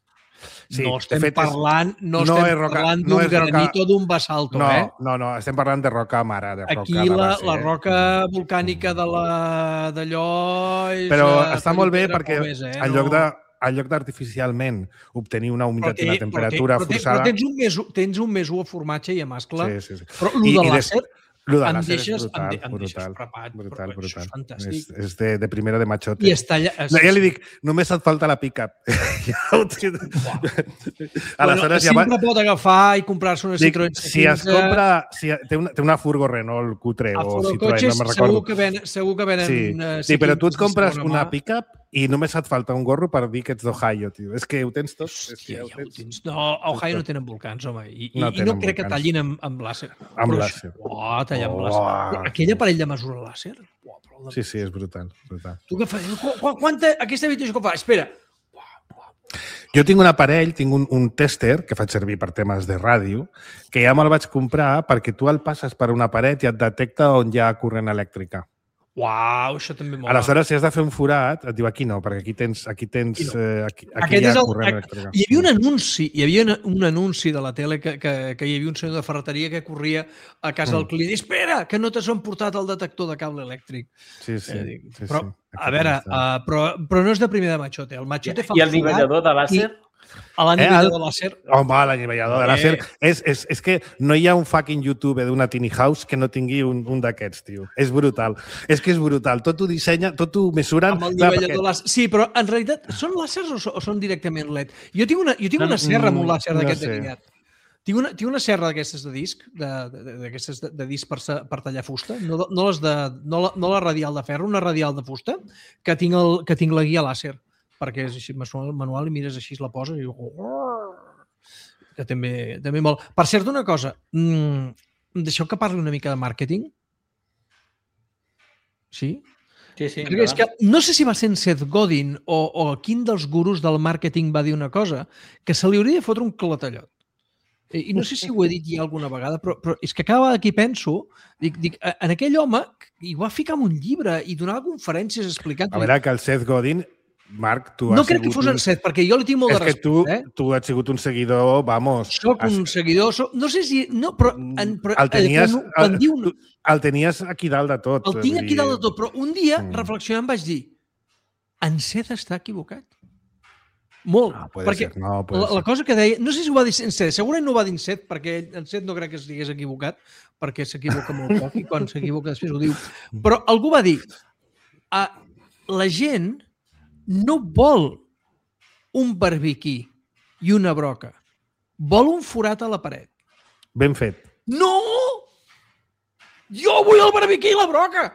Sí, no de estem fet, és- parlant, no no estem és roca- parlant no d'un és roca- granito o d'un basalto, No, eh? no, no, estem parlant de roca mare, de roca Aquí de la, base, la eh? roca volcànica de la d'allò és... Però eh, està molt bé Felipe perquè Gómez, eh? en lloc de en lloc d'artificialment obtenir una Però humitat té- i una temperatura però té- forçada... Però tens un més, u- tens un més u a formatge i a mascle. Sí, sí, sí. Però el I- de i des- làser Lo de em làser deixes, és brutal, em, de, em deixes brutal, frapat. brutal, però això brutal. és fantàstic. És, és de, de primera de machote. I es talla... Es... No, ja li dic, només et falta la pick-up. ja ho tinc. Aleshores, ja va... sempre pot agafar i comprar-se una Dic, Citroën si es compra... Si té, una, té una furgo Renault cutre a o Citroën, Furocotxes, no me'n segur recordo. que venen, segur que venen Sí, eh, sí, però tu et cinquanta de compres segona una mà. pick-up i només et falta un gorro per dir que ets d'Ohio, tio. És que ho tens tot. És que Hòstia, ja ho ja ho tens. tens. No, a Ohio no tenen volcans, home. I, i, No i no tenen crec que volcans. tallin amb, amb làser. Amb Però làser. això- Oh, tallar amb Oh. làser. Però aquell aparell de mesura làser? Oh, però el de... Sí, sí, és brutal. brutal. Tu què fas? Qu qu quanta... Aquesta habitació que fa? Espera. Jo tinc un aparell, tinc un, un tèster que faig servir per temes de ràdio, que ja me'l vaig comprar perquè tu el passes per una paret i et detecta on hi ha corrent elèctrica. Uau, això també mola. Aleshores, si has de fer un forat, et diu aquí no, perquè aquí tens, aquí tens, Aquí no. eh, aquí, aquí Aquest hi ha és el, corrent ac- elèctrica. hi havia un anunci, hi havia una- un anunci de la tele que, que, que hi havia un senyor de ferreteria que corria a casa Mm. del client. Espera, que no t'has emportat el detector de cable elèctric. Sí, sí. Eh, dic, sí, però, sí. a veure, uh, però, però no és de primer de machote. El machote fa I el un forat nivellador de làser? a l'anivellador Eh, el- de làser. Home, l'anivellador de Eh. làser. És, és, és que no hi ha un fucking YouTube d'una tiny house que no tingui un, un d'aquests, tio. És brutal. És que és brutal. Tot ho dissenya, tot ho mesuren. Amb el Clar, nivellador làser. Sí, però en realitat són làsers o, so- o són directament L E D? Jo tinc una, jo tinc No, una serra amb un mm, làser no d'aquest sé. de guiat. Tinc una, tinc una serra d'aquestes de disc, de- de- d'aquestes de, de disc per, sa- per tallar fusta, no, de- no, les de, no, la, no la radial de ferro, una radial de fusta, que tinc, el, que tinc la guia làser, perquè és així manual, manual i mires així, la poses i... Que també, també molt. Per cert, una cosa, mmm, deixeu que parli una mica de màrqueting? Sí? Sí, sí. Perquè és que no sé si va ser en Seth Godin o, o quin dels gurus del màrqueting va dir una cosa que se li hauria de fotre un clatallot. I, i no sé si ho he dit ja alguna vegada, però, però és que cada vegada que hi penso, dic, dic, en aquell home hi va ficar en un llibre i donava conferències explicant... A veure, que el Seth Godin, Marc, tu has No crec que sigut fos un- en Seth, perquè jo li tinc molt És de que tu, respecte. Eh? tu has sigut un seguidor, vamos... Soc has- un seguidor, soc... no sé si... No, però, en, però el tenies, quan, quan el, diu, tu- el tenies aquí dalt de tot. el tinc vull aquí dir- dalt de tot, però un dia, Mm. reflexionant, vaig dir en Seth està equivocat. Molt. No, puede perquè ser, no, puede la, la ser. cosa que deia... No sé si ho va dir en Seth, segurament no ho va dir en Seth, perquè en Seth no crec que estigués equivocat, perquè s'equivoca molt poc i quan s'equivoca després ho diu. Però algú va dir ah, la gent no vol un barbiquí i una broca. Vol un forat a la paret. Ben fet. No! Jo vull el barbiquí i la broca!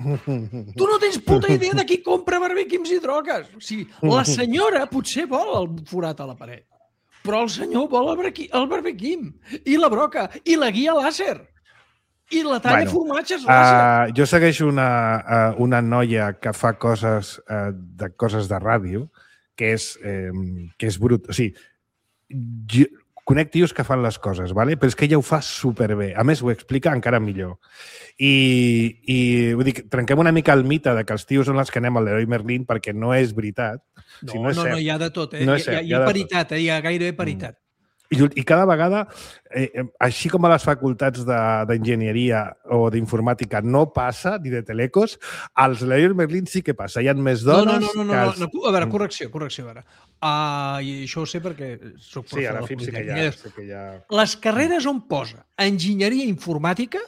Tu no tens puta idea de qui compra barbiquims i drogues. O sigui, la senyora potser vol el forat a la paret, però el senyor vol el, barqui, el barbiquim i la broca i la guia làser i la talla Bueno, bueno, formatges làser. Uh, jo segueixo una, uh, una noia que fa coses uh, de coses de ràdio que és, eh, que és brut. O sigui, jo, conec tios que fan les coses, vale? Però és que ella ho fa superbé. A més, ho explica encara millor. I, i vull dir, trenquem una mica el mite de que els tios són els que anem al Leroy Merlin perquè no és veritat. No, si no, és no, cert. no, hi ha de tot. Eh? No No és hi, ha, cert, hi hi ha ha de paritat, eh? Hi ha gairebé paritat. I, I cada vegada, eh, eh, així com a les facultats de- d'enginyeria o d'informàtica no passa, ni de telecos, als Leroy Merlin sí que passa. Hi ha més No, dones no, no, no, que no, els... no, no. A veure, correcció, correcció. A veure. Uh, I això ho sé perquè soc Sí, a la professor F I M sí que hi ha. Politécnic. Sí que hi ha... Les carreres on posa enginyeria informàtica,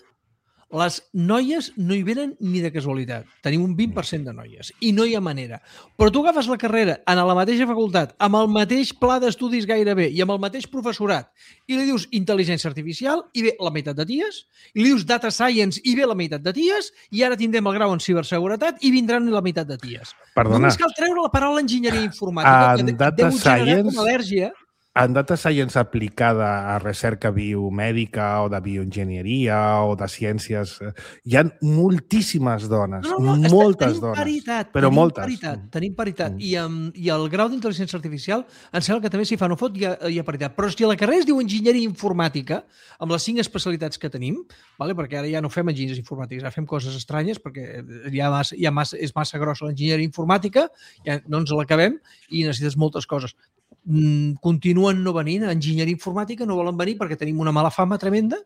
les noies no hi venen ni de casualitat. Tenim un vint per cent de noies i no hi ha manera. Però tu agafes la carrera en la mateixa facultat, amb el mateix pla d'estudis gairebé i amb el mateix professorat i li dius intel·ligència artificial i ve la meitat de ties, i li dius data science i ve la meitat de ties, i ara tindrem el grau en ciberseguretat i vindran la meitat de ties. Perdona. Només cal treure la paraula enginyeria informàtica, En que data deu generar science- com al·lèrgia. En data science aplicada a recerca biomèdica o de bioenginyeria o de ciències, eh, hi ha moltíssimes dones, No, no, no, està- moltes tenim dones, paritat, però tenim moltes. Paritat, tenim paritat. Mm. I, um, I el grau d'intel·ligència artificial em sembla que també s'hi fa no fot, hi ha, hi ha paritat. Però si la carrera es diu enginyeria informàtica, amb les cinc especialitats que tenim, vale? Perquè ara ja no fem enginyers informàtics, ara fem coses estranyes, perquè ja, massa, ja massa, és massa grossa l'enginyeria informàtica, ja no ens l'acabem i necessites moltes coses. Mm, continuen no venint. A enginyeria informàtica no volen venir perquè tenim una mala fama tremenda.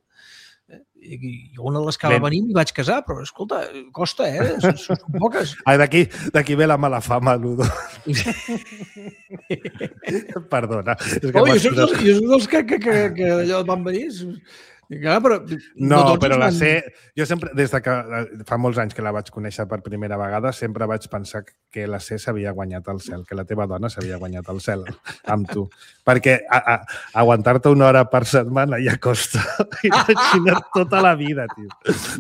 Eh, I, i una de les que va Ben. venir m'hi vaig casar, però escolta, costa, eh? Són, són poques. Ah, d'aquí d'aquí ve la mala fama, Ludo. Perdona. És que Oh, jo m'has soc dels, posat- jo soc dels que, que, que, que allò van venir. Clar, però No, tots però ens la van- C... Jo sempre, des de que eh, fa molts anys que la vaig conèixer per primera vegada, sempre vaig pensar que la C s'havia guanyat el cel, que la teva dona s'havia guanyat el cel amb tu. Perquè a, a, aguantar-te una hora per setmana ja costa. Imagina't tota la vida, tio.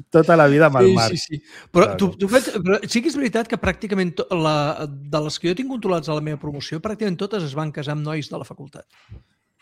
Tota la vida amb el Sí, Marc. sí, sí. Però, Claro. tu, tu fets, però sí que és veritat que pràcticament to, la, de les que jo tinc controlats a la meva promoció, pràcticament totes es van casar amb nois de la facultat.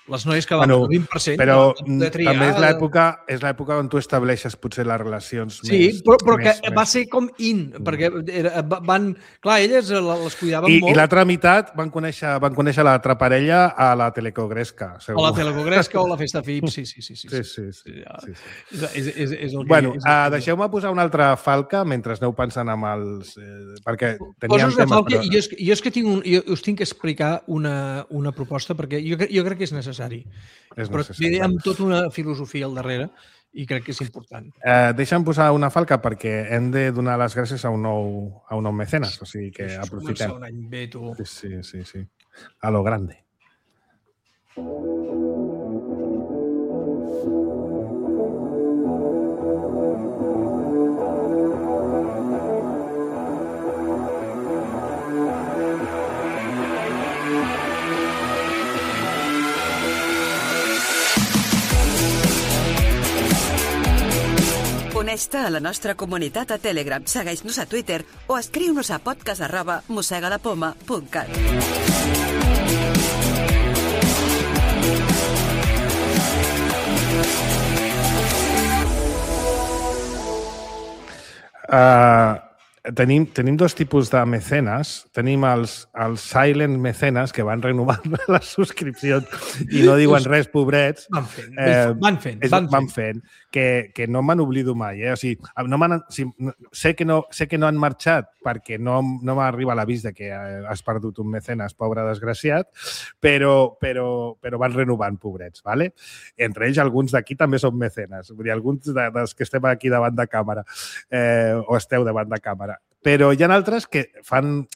Les noies que van Bueno, el vint per cent Però van poder triar. també és l'època és l'època on tu estableixes potser les relacions Sí, més... però, però que més, va més... ser com in, perquè era, va- van... Clar, elles les cuidaven I, molt. I l'altra meitat van conèixer, van conèixer l'altra parella a la Telecogresca, segur. O la Telecogresca o la Festa F I P, sí, sí, sí. sí, Sí, sí, sí. Ja. sí, sí. És, és, és, és el que... Bueno, és el uh, que- deixeu-me posar una altra falca mentre aneu pensant amb els... Eh, perquè teníem Poses una temes... falca i jo, és, jo és que tinc un, jo us tinc que explicar una, una proposta perquè jo, cre- jo crec que és necessari. És Però necessari. ve amb tota una filosofia al darrere i crec que és important. Eh, deixa'm posar una falca perquè hem de donar les gràcies a un nou, a un nou mecenes, o sigui que Això és aprofitem. començar un any bé, tu. Sí, sí, sí, sí. A lo grande. Uneix-te a la nostra comunitat a Telegram, segueix-nos a Twitter o escriu-nos a podcast arroba mossegadapoma punt cat. Uh, tenim, tenim dos tipus de mecenes. Tenim els, els silent mecenes que van renovant les subscripcions i no diuen res, pobrets. Van fent, Eh, van fent. és, Van van fent. fent. Que, que no me'n oblido mai. Eh? O sigui, no m'han- si, no- sé, que no, sé que no han marxat perquè no, no m'arriba l'avís de que eh, has perdut un mecenes, pobre desgraciat, però, però, però van renovant, pobrets. Vale? Entre ells, alguns d'aquí també són mecenes. Vull dir, alguns de, dels que estem aquí davant de càmera eh, o esteu davant de càmera. Però hi ha altres que fan,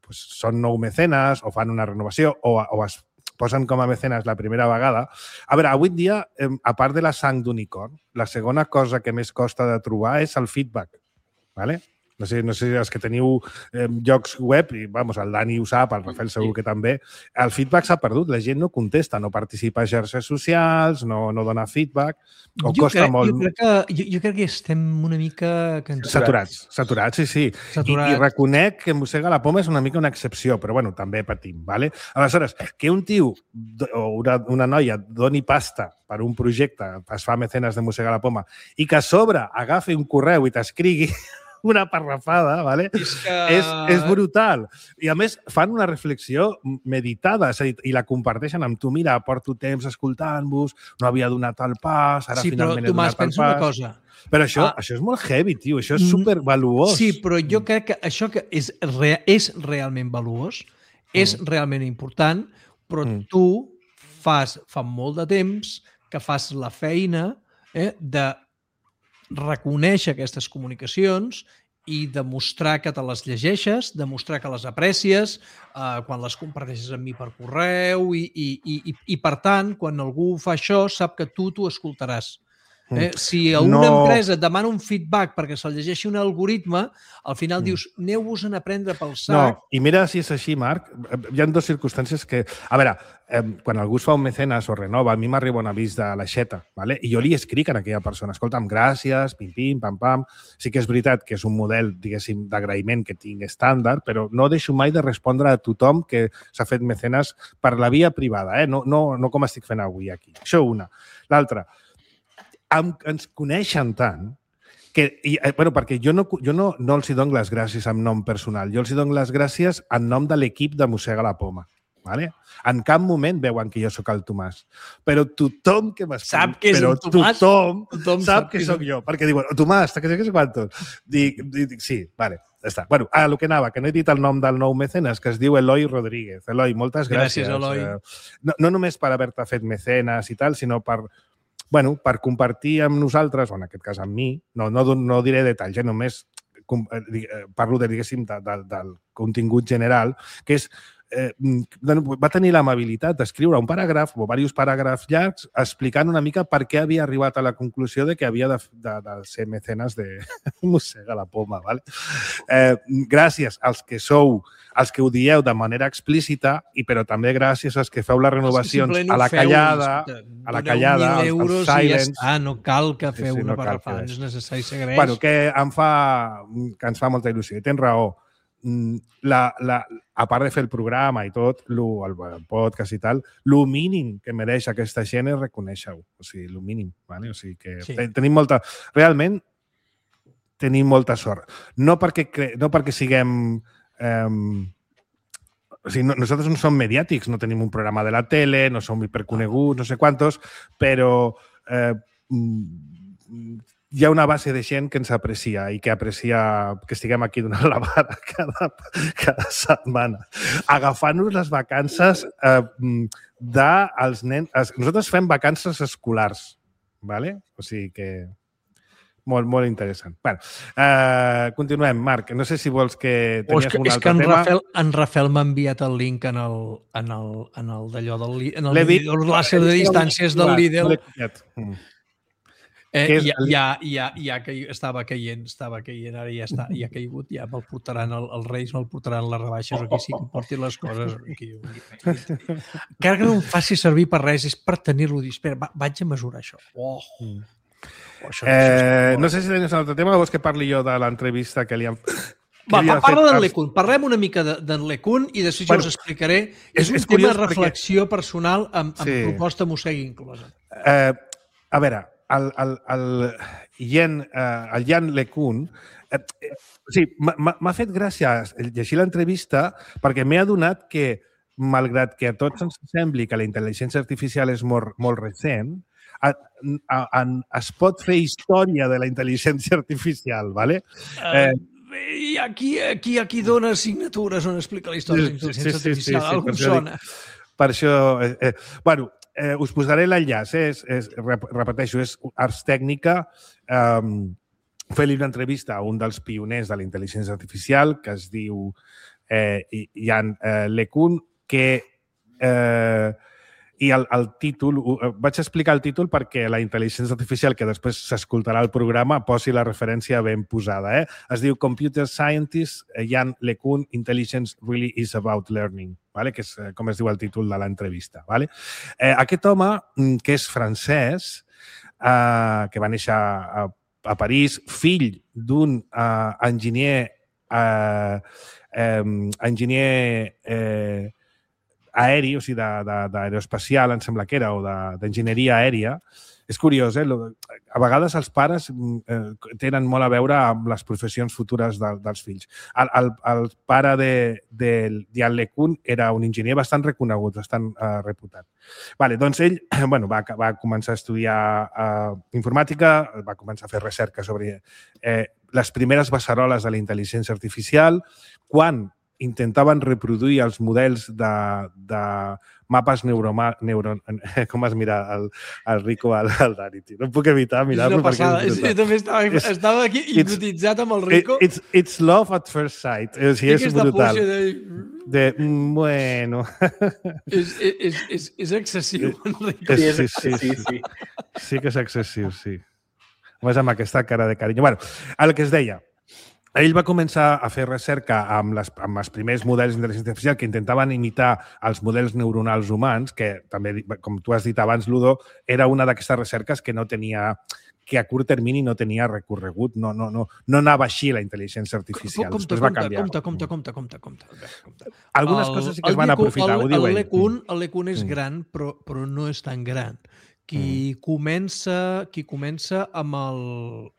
pues, són nou mecenes o fan una renovació o, o es posen com a mecenes la primera vegada. A veure, avui dia, eh, a part de la sang d'unicorn, la segona cosa que més costa de trobar és el feedback. ¿Vale? No sé, no sé els que teniu eh, llocs web, i vamos, el Dani ho sap, el Rafael segur que també, el feedback s'ha perdut, la gent no contesta, no participa a xarxes socials, no, no dona feedback, o Jo costa crec, molt... jo, crec que, jo, jo crec que estem una mica cansats. Saturats, saturats, sí, sí. Saturats. I, I reconec que Mossega la Poma és una mica una excepció, però bueno, també patim, ¿vale? Aleshores, que un tio o una, una noia doni pasta per un projecte, es fa mecenes de Mossega la Poma, i que a sobre agafi un correu i t'escrigui una parrafada, ¿vale? És que... És, és brutal. I, a més, fan una reflexió meditada, és a dir, i la comparteixen amb tu. Mira, porto temps escoltant-vos, no havia donat el pas, ara Sí, però, finalment he Tomàs, donat el pensa una pas. cosa. Però això, Ah. això és molt heavy, tio. Això és supervaluós. Sí, però jo crec que això que és, re, és realment valuós, és Mm. realment important, però Mm. tu fas fa molt de temps que fas la feina eh, de reconèixer aquestes comunicacions i demostrar que te les llegeixes, demostrar que les aprecies, eh, quan les comparteixes amb mi per correu i, i, i, i, i, per tant, quan algú fa això, sap que tu t'ho escoltaràs. Eh? Si a una No. empresa et demana un feedback perquè se'l llegeixi un algoritme, al final Mm. dius, aneu-vos-en a prendre pel No, sac. i mira si és així, Marc. Hi ha dues circumstàncies que... A veure, eh, quan algú es fa un mecenes o renova, a mi m'arriba un avís de l'aixeta, ¿vale? I jo li escric a aquella persona, escolta'm, gràcies, pim-pim, pam-pam. Sí que és veritat que és un model, diguéssim, d'agraïment que tinc estàndard, però no deixo mai de respondre a tothom que s'ha fet mecenes per la via privada, eh? no, no, no com estic fent avui aquí. Això una. L'altra, Am, ens coneixen tant que, i, eh, bueno, perquè jo, no, jo no, no els hi dono les gràcies en nom personal, jo els hi dono les gràcies en nom de l'equip de Mossega la Poma. ¿Vale? En cap moment veuen que jo sóc el Tomàs. Però tothom que m'escriu, Sap que és però el Tomàs. tothom, Tothom sap que sóc jo. Perquè diuen, Tomàs, que sé que sé quantos. Dic, dic, sí, vale, ja està. Bueno, a lo que anava, que no he dit el nom del nou mecenes, que es diu Eloi Rodríguez. Eloi, moltes gràcies. Gràcies, Eloi. Eh, No, no només per haver-te fet mecenes i tal, sinó per, bueno, per compartir amb nosaltres, o en aquest cas amb mi, no, no, no diré detalls, eh, només com, eh, parlo de, diguéssim, de, de, del contingut general, que és eh, va tenir l'amabilitat d'escriure un paràgraf o diversos paràgrafs llargs explicant una mica per què havia arribat a la conclusió de que havia de, de, de ser mecenes de Mossega la Poma. Vale? Eh, gràcies als que sou, als que ho dieu de manera explícita, i però també gràcies als que feu les renovacions a la callada, a la callada, als, als silents. Ah, no cal que feu Sí, sí, una no cal parrafada, fer no és necessari ser greix. Bueno, que em fa, que ens fa molta il·lusió. I tens raó. La, la, a part de fer el programa i tot, lo, el, el podcast i tal, el mínim que mereix aquesta gent és reconèixer-ho. O sigui, el mínim. Vale? O sigui que sí. Tenim molta... Realment, tenim molta sort. No perquè, no perquè siguem... Eh, o sigui, no, nosaltres no som mediàtics, no tenim un programa de la tele, no som hiperconeguts, no sé quantos, però eh, hi ha una base de gent que ens aprecia i que aprecia que estiguem aquí donant la vara cada, cada setmana. Agafant-nos les vacances eh, dels nens... Nosaltres fem vacances escolars, ¿vale? O sigui que... Molt, molt interessant. Bueno, uh, continuem. Marc, no sé si vols que tenies que, un és altre que en tema. Rafael, en Rafael m'ha enviat el link en el, en el, en el d'allò del en el vist, l'enlaç de distàncies del Lidl. Mm. Eh, és ja, el... ja, ja, ja que estava caient, estava caient, ara ja està, ja ha caigut, ja me'l portaran, el, els Reis me'l portaran les rebaixes, o aquí sí que em portin les coses. Aquí, aquí. Encara que no em faci servir per res, és per tenir-lo dit. Espera, va, vaig a mesurar això. Oh. Mm. Oh, això eh, no sé si tenies un altre tema o vols que parli jo de l'entrevista que li han... Va, va, parla d'en Lecun. Parlem una mica d'en Lecun i després bueno, jo us explicaré. És, és un és tema de reflexió perquè... personal amb, amb sí. proposta Mossega inclosa. Eh, a veure, el, el, el, Yen, uh, el Jan LeCun, eh, eh, o sigui, m'ha fet gràcia llegir l'entrevista perquè m'he adonat que, malgrat que a tots ens sembli que la intel·ligència artificial és molt, molt recent, a, a, a, es pot fer història de la intel·ligència artificial, ¿vale? Eh, I aquí, aquí, aquí dona signatures on explica la història de la intel·ligència artificial. Sí, sí, sí, sí, algú per sona. Dic, per això... Eh, eh, bueno, eh, us posaré l'enllaç. Eh? És, és, repeteixo, és Ars Tècnica. Eh, fer-li una entrevista a un dels pioners de la intel·ligència artificial que es diu eh, Jan eh, LeCun, que... Eh, I el, el títol, vaig explicar el títol perquè la intel·ligència artificial, que després s'escoltarà al programa, posi la referència ben posada. Eh? Es diu Computer Scientist Jan LeCun, Intelligence Really is About Learning, vale? Que és com es diu el títol de l'entrevista. Vale? Eh, aquest home, que és francès, eh, que va néixer a, a París, fill d'un eh, enginyer, eh, eh, enginyer eh, aeri, o sigui, d'aeroespacial, em sembla que era, o d'enginyeria aèria. És curiós, eh? A vegades els pares eh, tenen molt a veure amb les professions futures de, dels fills. El, el, el pare de, de Jan LeCun era un enginyer bastant reconegut, bastant eh, reputat. Vale, doncs ell bueno, va, va començar a estudiar eh, informàtica, va començar a fer recerca sobre eh, les primeres beceroles de la intel·ligència artificial, quan intentaven reproduir els models de, de mapes neuroma, neuro... Com es mira el, el Rico al, al Dani? No puc evitar mirar-lo perquè és brutal. Jo també estava, it's, estava aquí hipnotitzat amb el Rico. It, it's, it's love at first sight. O sigui, és brutal. De... de... Bueno... És, és, és, és excessiu, en Rico. Sí, sí, sí, sí, sí. Sí que és excessiu, sí. Més amb aquesta cara de carinyo. Bueno, el que es deia, ell va començar a fer recerca amb, les, amb els primers models d'intel·ligència artificial que intentaven imitar els models neuronals humans, que també, com tu has dit abans, Ludo, era una d'aquestes recerques que no tenia, que a curt termini no tenia recorregut, no, no, no, no anava així la intel·ligència artificial. Compte, Després va canviar. compte, compte, compte, compte, compte, compte. Algunes el, coses sí que es van aprofitar, el, ho diu el ell. LeCun, el LeCun és gran, però, però no és tan gran. Qui, mm. comença, qui comença amb el,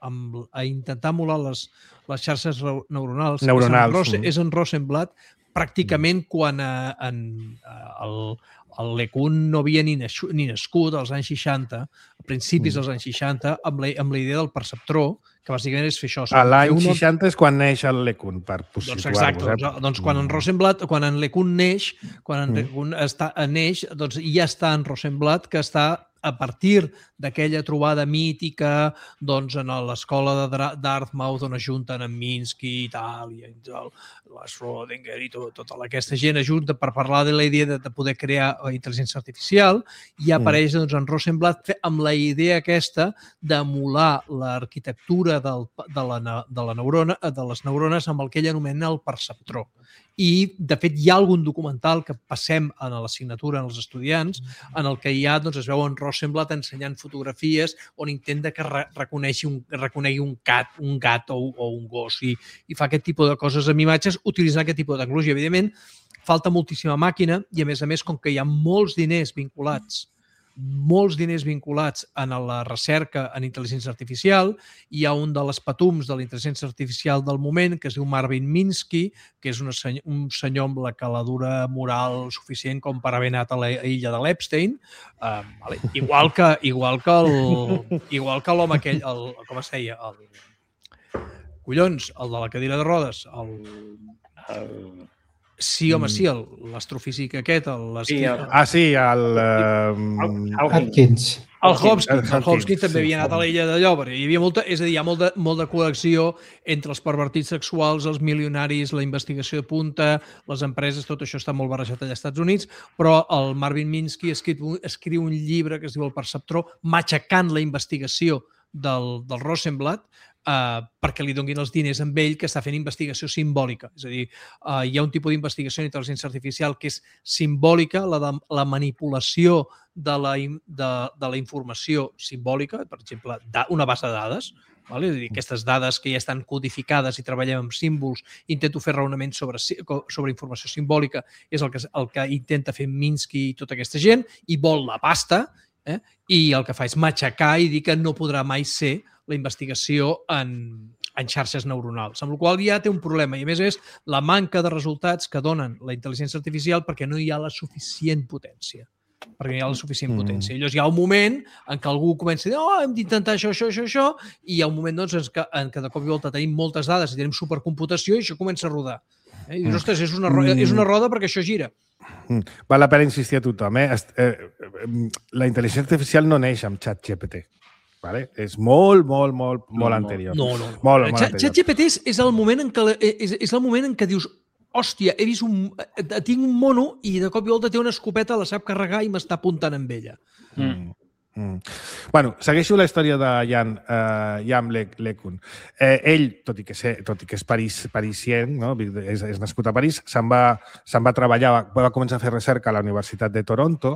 amb, a intentar emular les, les xarxes neuronals, neuronals. És, en mm. és en Rosenblatt, pràcticament mm. quan a, en, el, el LeCun no havia ni, naixu, ni nascut als anys seixanta, a principis mm. dels anys seixanta, amb la, amb la idea del perceptró, que bàsicament és fer això. A l'any una... seixanta és quan neix el LeCun, per doncs exacte, eh? doncs, doncs quan en Rosenblatt, quan en LeCun neix, quan en LeCun està, neix, doncs ja està en Rosenblatt, que està a partir d'aquella trobada mítica doncs, en l'escola de Dartmouth on es junten en Minsky i tal, i el, la Schrödinger i tot, tota aquesta gent ajunta per parlar de la idea de, de poder crear intel·ligència artificial i apareix doncs, en Rosenblatt amb la idea aquesta d'emular l'arquitectura del, de, la, de, la neurona, de les neurones amb el que ell anomena el perceptró. I, de fet, hi ha algun documental que passem a l'assignatura als estudiants en el que hi ha, doncs, es veu en Rosenblatt ensenyant fotografies on intenta que reconegui un, reconegui un gat, un gat o, o un gos i, i fa aquest tipus de coses amb imatges utilitzant aquest tipus de tecnologia. Evidentment, falta moltíssima màquina i, a més a més, com que hi ha molts diners vinculats molts diners vinculats en la recerca en intel·ligència artificial. Hi ha un de les patums de la intel·ligència artificial del moment que es diu Marvin Minsky, que és una senyor, un senyor amb la caladura moral suficient com per haver anat a l'illa de l'Epstein. Uh, vale. Igual que igual que el, igual que l'home aquell, el, com es deia? El, collons, el de la cadira de rodes. El... el Sí, home, sí, l'astrofísic aquest. El, sí, el... Ah, sí, el... Uh... Hopkins. El Hopkins. El Hopkins també havia anat a l'illa de Llòbrega. Hi havia molta, és a dir, hi ha molta, molta col·lecció entre els pervertits sexuals, els milionaris, la investigació de punta, les empreses, tot això està molt barrejat allà als Estats Units, però el Marvin Minsky escriu, escriu un llibre que es diu El perceptró, matxacant la investigació del, del Rosenblatt, Uh, perquè li donin els diners amb ell que està fent investigació simbòlica. És a dir, uh, hi ha un tipus d'investigació en intel·ligència artificial que és simbòlica, la, de, la manipulació de la, de, de la informació simbòlica, per exemple, una base de dades, vale? És a dir, aquestes dades que ja estan codificades i treballem amb símbols, intento fer raonaments sobre, sobre informació simbòlica, és el que, el que intenta fer Minsky i tota aquesta gent, i vol la pasta, eh? I el que fa és matxacar i dir que no podrà mai ser la investigació en, en xarxes neuronals, amb la qual cosa ja té un problema. I a més és la manca de resultats que donen la intel·ligència artificial perquè no hi ha la suficient potència. perquè no hi ha la suficient potència. I llavors hi ha un moment en què algú comença a dir oh, hem d'intentar això, això, això, això, i hi ha un moment doncs, en, què, en què de cop i volta tenim moltes dades i tenim supercomputació i això comença a rodar. Eh? I dius, ostres, és una, roda, és una roda perquè això gira. Val la pena insistir a tothom. Eh? La intel·ligència artificial no neix amb ChatGPT. Vale? És molt, molt, molt, molt no, anterior. No, no. Molt, molt anterior. ChatGPT és, és, el moment en què, és, és el moment en què dius hòstia, he vist un... tinc un mono i de cop i volta té una escopeta, la sap carregar i m'està apuntant amb ella. Mm. Mm. Bueno, segueixo la història de Jan, uh, Jan LeCun. Eh, ell, tot i que, sé, tot i que és paris, parisien, no? és, és nascut a París, se'n va, se'n va treballar, va començar a fer recerca a la Universitat de Toronto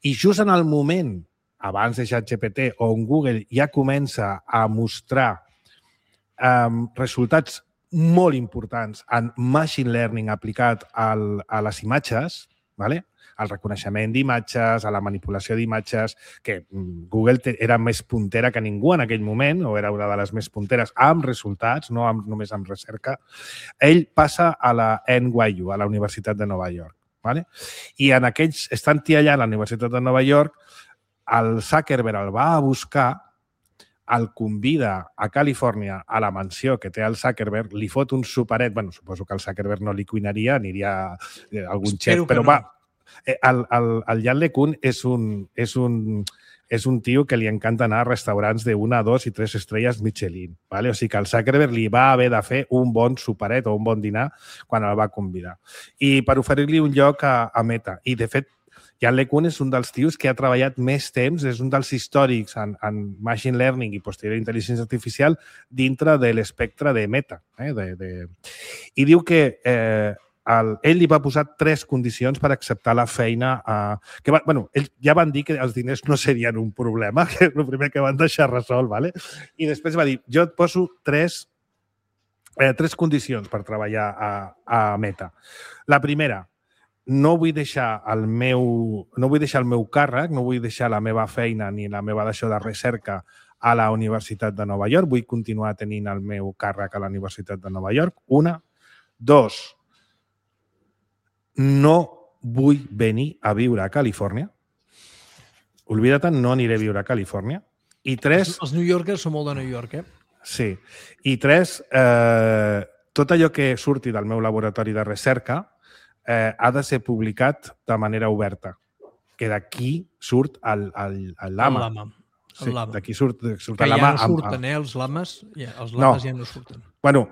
i just en el moment, abans de ChatGPT, on Google ja comença a mostrar um, resultats molt importants en machine learning aplicat al, a les imatges, ¿vale? Al reconeixement d'imatges, a la manipulació d'imatges, que Google era més puntera que ningú en aquell moment, o era una de les més punteres, amb resultats, no amb, només amb recerca. Ell passa a la N Y U, a la Universitat de Nova York. ¿Vale? I en aquells, estant allà a la Universitat de Nova York, el Zuckerberg el va a buscar, el convida a Califòrnia, a la mansió que té el Zuckerberg, li fot un superet, bueno, suposo que el Zuckerberg no li cuinaria, aniria algun xef, però no. va, el, el, el Jan LeCun és un, és, un, és un tio que li encanta anar a restaurants de una, dos i tres estrelles Michelin, ¿vale? O sigui que el Zuckerberg li va haver de fer un bon superet o un bon dinar quan el va convidar. I per oferir-li un lloc a, a Meta. I, de fet, Jan LeCun és un dels tios que ha treballat més temps, és un dels històrics en, en machine learning i posterior intel·ligència artificial dintre de l'espectre de Meta. Eh? De, de... I diu que eh, el, ell li va posar tres condicions per acceptar la feina. Eh, que va, bueno, ells ja van dir que els diners no serien un problema, que és el primer que van deixar resolt, ¿vale? I després va dir, jo et poso tres, eh, tres condicions per treballar a, a Meta. La primera, no vull deixar el meu, no vull deixar el meu càrrec, no vull deixar la meva feina ni la meva deixó de recerca a la Universitat de Nova York, vull continuar tenint el meu càrrec a la Universitat de Nova York. Una. Dos. No vull venir a viure a Califòrnia. Oblida't, no aniré a viure a Califòrnia. I tres... Els New Yorkers són molt de New York, eh? Sí. I tres, eh, tot allò que surti del meu laboratori de recerca Eh, ha de ser publicat de manera oberta, que d'aquí surt el, el, el lama. El lama. Sí, d'aquí surt, surt que el lama. Que ja no surten, amb... eh, els lames. Ja, els lames no. ja no surten. Bueno,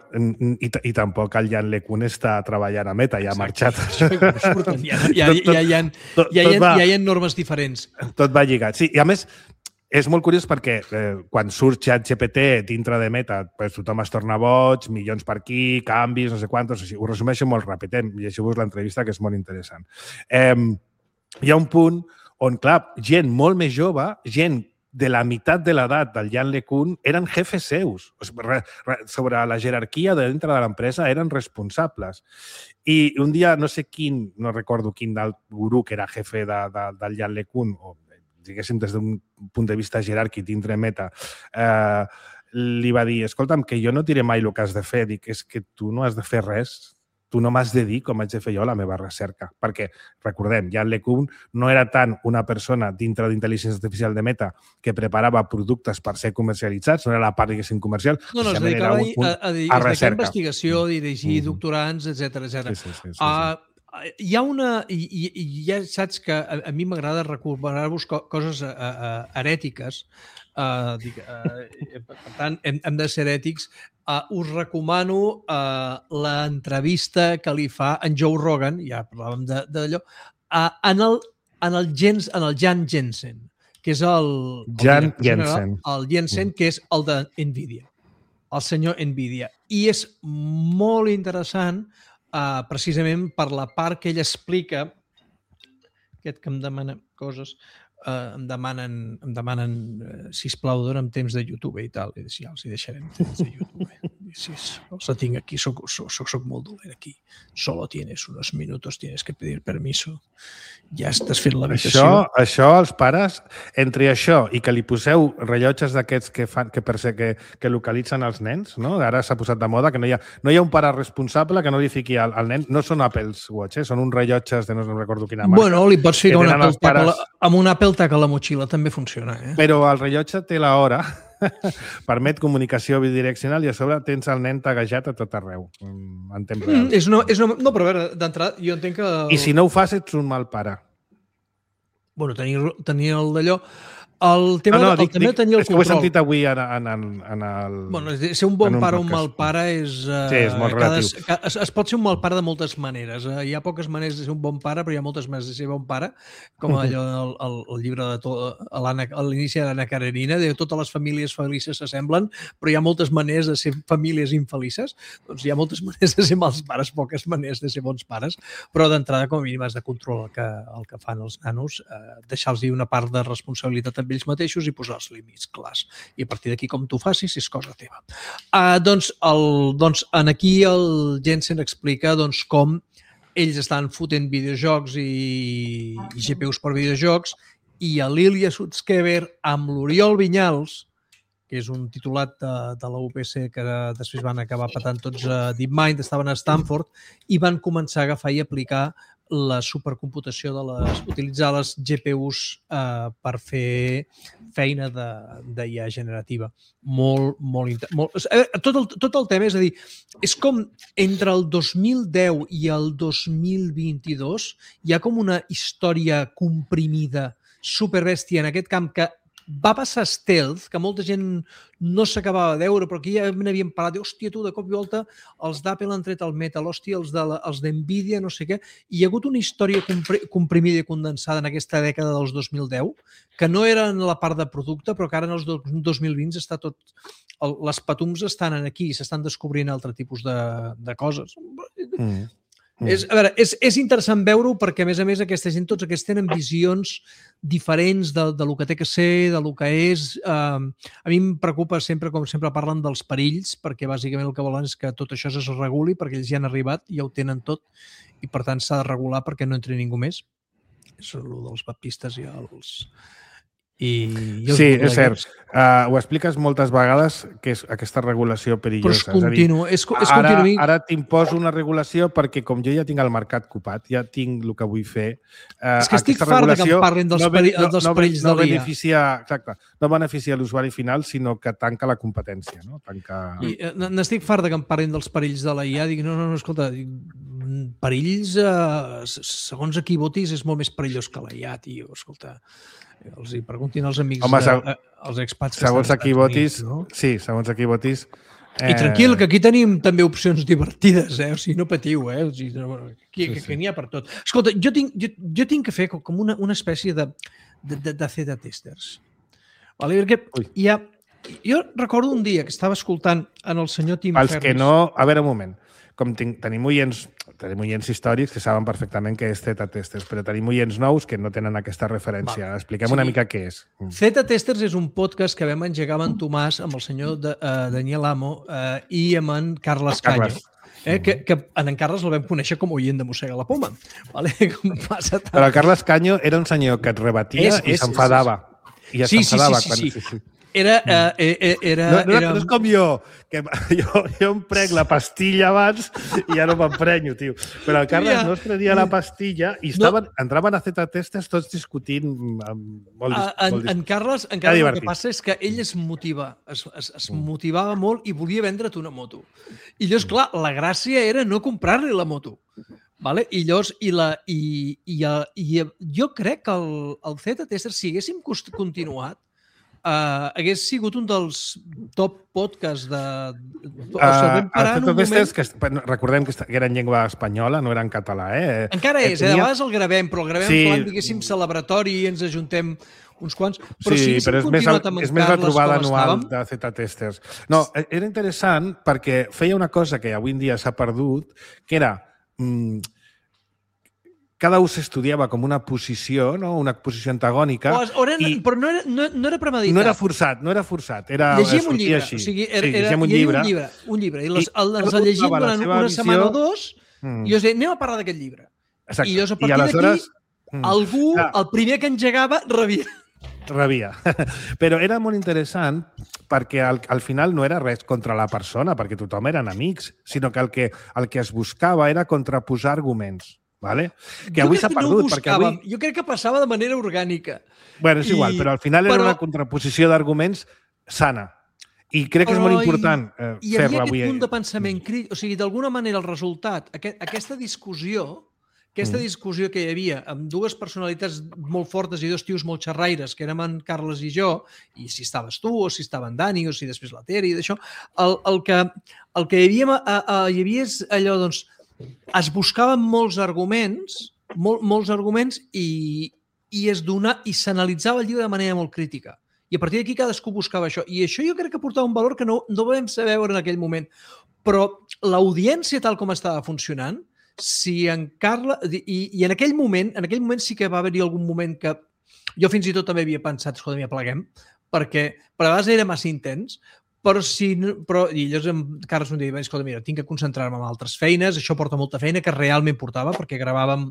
i, i tampoc el Jan LeCun està treballant a Meta, ja ha marxat. No surten. Ja, ja, ja, ja, hi ha, tot, ja, hi ha, ja hi ha normes diferents. Tot va lligat. Sí, i a més, és molt curiós perquè eh, quan surt ChatGPT dintre de Meta, pues, tothom es torna boig, milions per aquí, canvis, no sé quantos, o sigui, ho resumeixo molt ràpid, eh? Llegiu-vos l'entrevista, que és molt interessant. Eh, hi ha un punt on, clar, gent molt més jove, gent de la meitat de l'edat del Jan LeCun, eren jefes seus. O sigui, sobre la jerarquia de dintre de l'empresa eren responsables. I un dia, no sé quin, no recordo quin del gurú que era jefe de, de, del Jan LeCun, o diguéssim, des d'un punt de vista jeràrquic dintre Meta, eh, li va dir, escolta'm, que jo no diré mai el que has de fer, dic, és que tu no has de fer res, tu no m'has de dir com haig de fer jo la meva recerca. Perquè, recordem, Jan LeCun no era tant una persona dintre d'intel·ligència artificial de Meta que preparava productes per ser comercialitzats, no era la part, diguéssim, comercial, no, no, es dedicava a, a, a, a, a recerca. Investigació, dirigir mm. doctorants, etcètera etcètera. Sí, sí, sí, sí, sí. Uh, Hi ha una... I, i ja saps que a, a mi m'agrada recuperar-vos co coses uh, uh, herètiques. Uh, dic, uh, per tant, hem, hem de ser ètics. Uh, us recomano uh, l'entrevista que li fa en Joe Rogan, ja parlàvem d'allò, uh, en, el, en, el Jens, en el Jan Jensen, que és el... Jan el Jensen. El Jensen, que és el de NVIDIA. El senyor NVIDIA. I és molt interessant Uh, precisament per la part que ell explica, aquest que em demana coses, uh, em demanen, em demanen uh, sisplau, dona'm temps de YouTube i tal, i ja els hi deixarem temps de YouTube. sí, els la tinc aquí, soc, soc, soc, soc molt dolent aquí. Solo tienes unos minutos, tienes que pedir permiso. Ja estàs fent l'habitació. Això, això, els pares, entre això i que li poseu rellotges d'aquests que, fan, que, que, que localitzen els nens, no? Ara s'ha posat de moda que no hi ha, no hi ha un pare responsable que no li fiqui al, al nen. No són Apple Watch, eh? Són uns rellotges de no, no recordo quina marca. Bueno, li pots ficar un Apple pares... la, amb un Apple Tag a la motxilla també funciona. Eh? Però el rellotge té l'hora, permet comunicació bidireccional i a sobre tens el nen taguejat a tot arreu, en temps real. Mm, és una, és una, no, però a veure, d'entrada, jo entenc que... I si no ho fas, ets un mal pare. Bueno, tenir, tenir el d'allò... El tema no, no, de, el dic, tema dic, de tenir el és que ho he control. sentit avui en, en, en, en el... Bueno, ser un bon un pare o un podcast. mal pare és... Uh, Sí, és molt cada, relatiu. cada, es, es pot ser un mal pare de moltes maneres. Uh, hi ha poques maneres de ser un bon pare, però hi ha moltes maneres de ser bon pare, com allò del el, el llibre de to, a l'inici de l'Anna Karenina, de totes les famílies felices s'assemblen, però hi ha moltes maneres de ser famílies infelices. Doncs hi ha moltes maneres de ser mals pares, poques maneres de ser bons pares, però d'entrada, com a mínim, has de controlar el que, el que fan els nanos, uh, deixar-los una part de responsabilitat amb ells mateixos i posar els límits clars. I a partir d'aquí, com tu facis, és cosa teva. Uh, doncs, el, doncs, en aquí el Jensen explica doncs, com ells estan fotent videojocs i, i G P Us per videojocs i a l'Ilya Sutskever amb l'Oriol Vinyals, que és un titulat de, de la U P C que després van acabar patant tots a DeepMind, estaven a Stanford i van començar a agafar i aplicar la supercomputació de les, utilitzar les G P Us eh, per fer feina d'I A generativa. Molt, molt, molt... Tot el, tot el tema, és a dir, és com entre el dos mil deu i el dos mil vint-i-dos hi ha com una història comprimida, superbèstia en aquest camp que va passar stealth, que molta gent no s'acabava de veure, però aquí ja n'havíem parlat, de, hòstia, tu, de cop i volta, els d'Apple han tret el Metal, hòstia, els de la, els d'Nvidia, no sé què, i hi ha hagut una història comprimida i condensada en aquesta dècada dels dos mil deu, que no era en la part de producte, però que ara en els dos mil vint està tot... El, les patums estan aquí, s'estan descobrint altre tipus de, de coses. Mm. Mm. És, a veure, és, és interessant veure-ho perquè, a més a més, aquesta gent, tots aquests tenen visions diferents de, de lo que té que ser, de lo que és. Uh, a mi em preocupa sempre, com sempre parlen dels perills, perquè bàsicament el que volen és que tot això es reguli, perquè ells ja han arribat, ja ho tenen tot, i per tant s'ha de regular perquè no entri ningú més. És el dels baptistes i els... I sí, és cert. Uh, ho expliques moltes vegades, que és aquesta regulació perillosa. Però és continu. És, és ara continu. ara t'imposo una regulació perquè com jo ja tinc el mercat copat, ja tinc el que vull fer... Uh, és que estic fart que em parlin dels, no, peri no, dels no, perills no, de l'I A. Beneficia, exacte, no beneficia l'usuari final, sinó que tanca la competència. No? Tanca... N'estic fart que em parlin dels perills de la I A. Dic, no, no, no, escolta, perills, eh, segons a qui votis, és molt més perillós que la I A, tio. Escolta... Els hi preguntin als amics, Home, de, eh, els expats que segons estan a qui votis, Units, no? Sí, segons a qui votis... Eh... I tranquil, que aquí tenim també opcions divertides, eh? O sigui, no patiu, eh? O sigui, no, aquí, sí, que, sí. que n'hi ha per tot. Escolta, jo tinc, jo, jo tinc que fer com una, una espècie de, de, de, de Z-testers. Vale? Perquè hi ha... Jo recordo un dia que estava escoltant en el senyor Tim Pels Ferris... que no... A veure, un moment. Com tinc, tenim oients, tenim oients històrics que saben perfectament què és Z-testers, però tenim oients nous que no tenen aquesta referència. Vale. Expliquem sí. una mica què és. Z-testers és un podcast que vam engegar amb en Tomàs, amb el senyor de, uh, Daniel Amo uh, i amb en Carles Canyo. Eh, que, que en Carles el vam conèixer com a oient de Mossega la Poma. Vale? Com passa tant. Però el Carles Canyo era un senyor que et rebatia és, i s'enfadava. I sí, sí, sí, sí, sí, sí. Era, eh, era, no, no, era... no és com jo, que jo, jo em prenc la pastilla abans i ja no m'emprenyo, tio. Però el Carles ja. no es prenia la pastilla i estaven, no. entraven a Z-testers tots discutint molt, a, en, molt en Carles, en Carles el que passa és que ell es motiva, es, es, es motivava molt i volia vendre't una moto. I llavors, clar, la gràcia era no comprar-li la moto. Vale? I llavors, i la, i, i, i, i jo crec que el, el Z-tester, si haguéssim continuat, Uh, hagués sigut un dels top podcasts de... O sigui, uh, el moment... que recordem que era en llengua espanyola, no era en català. Eh? Encara és, eh? De vegades el gravem, però el gravem sí. en plan, diguéssim, celebratori i ens ajuntem uns quants. Però sí, si però és més, el, és més la trobada anual de Z-testers. No, era interessant perquè feia una cosa que avui en dia s'ha perdut, que era... Mm, cada un s'estudiava com una posició, no? Una posició antagònica. O, o era, i però no era, no, no era premeditat. No era forçat, no era forçat. Era, llegíem un llibre. Així. O sigui, era, sí, era, un hi havia llibre. un llibre. Un llibre. I les, I el, ens el llegíem durant una visió... setmana o dos mm. i jo deia, anem a parlar d'aquest llibre. Exacte. I llavors, a partir aleshores... d'aquí, mm. algú, ah. el primer que engegava, rebia. Rebia. Però era molt interessant perquè al, al final no era res contra la persona, perquè tothom eren amics, sinó que el que, el que es buscava era contraposar arguments. Vale? Que jo avui s'ha no perdut. Perquè avui... Jo crec que passava de manera orgànica. Bueno, és I... igual, però al final era però... una contraposició d'arguments sana. I crec que és molt important eh, i, fer-la avui. I hi havia aquest punt de pensament crític. O sigui, d'alguna manera el resultat, aquest, aquesta discussió, aquesta mm. discussió que hi havia amb dues personalitats molt fortes i dos tios molt xerraires, que érem en Carles i jo, i si estaves tu, o si estava en Dani, o si després la Tere i d'això, el, el, que, el que hi havia, a, a, hi havia és allò, doncs, es buscaven molts arguments, molt, molts arguments i, i es dona, i s'analitzava el llibre de manera molt crítica. I a partir d'aquí cadascú buscava això. I això jo crec que portava un valor que no, no vam saber veure en aquell moment. Però l'audiència tal com estava funcionant, si en Carla... I, i en aquell moment, en aquell moment sí que va haver-hi algun moment que jo fins i tot també havia pensat, escolta, ja pleguem, perquè per a vegades era massa intens, però si... Però, i llavors en Carles em deia, escolta, mira, tinc que concentrar-me en altres feines, això porta molta feina, que realment portava, perquè gravàvem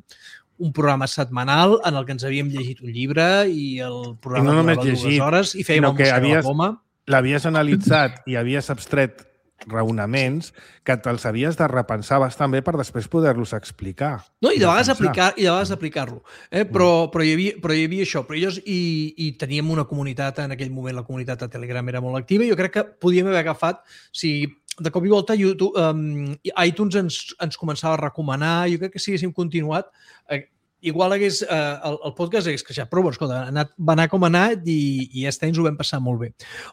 un programa setmanal en el que ens havíem llegit un llibre i el programa I no durava llegit, dues hores i fèiem el Mossega havies, la Poma. L'havies analitzat i havies abstret raonaments que te'ls havies de repensar bastant bé per després poder-los explicar. No, i de vegades aplicar, i de vegades aplicar-lo. Eh? Però, però, hi havia, però hi havia això. Però llavors, i, i teníem una comunitat, en aquell moment la comunitat de Telegram era molt activa i jo crec que podíem haver agafat, si de cop i volta YouTube, um, iTunes ens, ens començava a recomanar, jo crec que si haguéssim continuat, eh, igual hagués, eh, el, el podcast hagués creixat, però bueno, escolta, anat, va anar com ha anat i, i ja està, ens ho vam passar molt bé.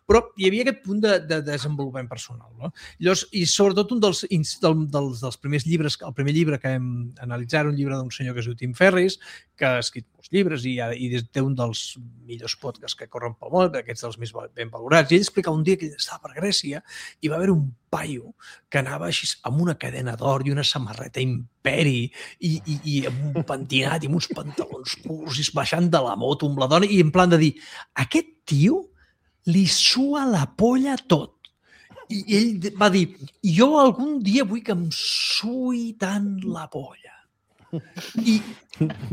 Però hi havia aquest punt de, de desenvolupament personal. No? Llavors, i sobretot un dels, del, dels, dels primers llibres, el primer llibre que vam analitzar era un llibre d'un senyor que es diu Tim Ferriss, que ha escrit molts llibres i, i té un dels millors podcasts que corren pel món, aquests dels més ben valorats. I ell explicava un dia que ell estava per Grècia i va haver un paio que anava així amb una cadena d'or i una samarreta imperi i, i, i amb un pentinat i amb uns pantalons curts i baixant de la moto amb la dona i en plan de dir, aquest tio li sua la polla tot. I ell va dir, jo algun dia vull que em sui tant la polla. I,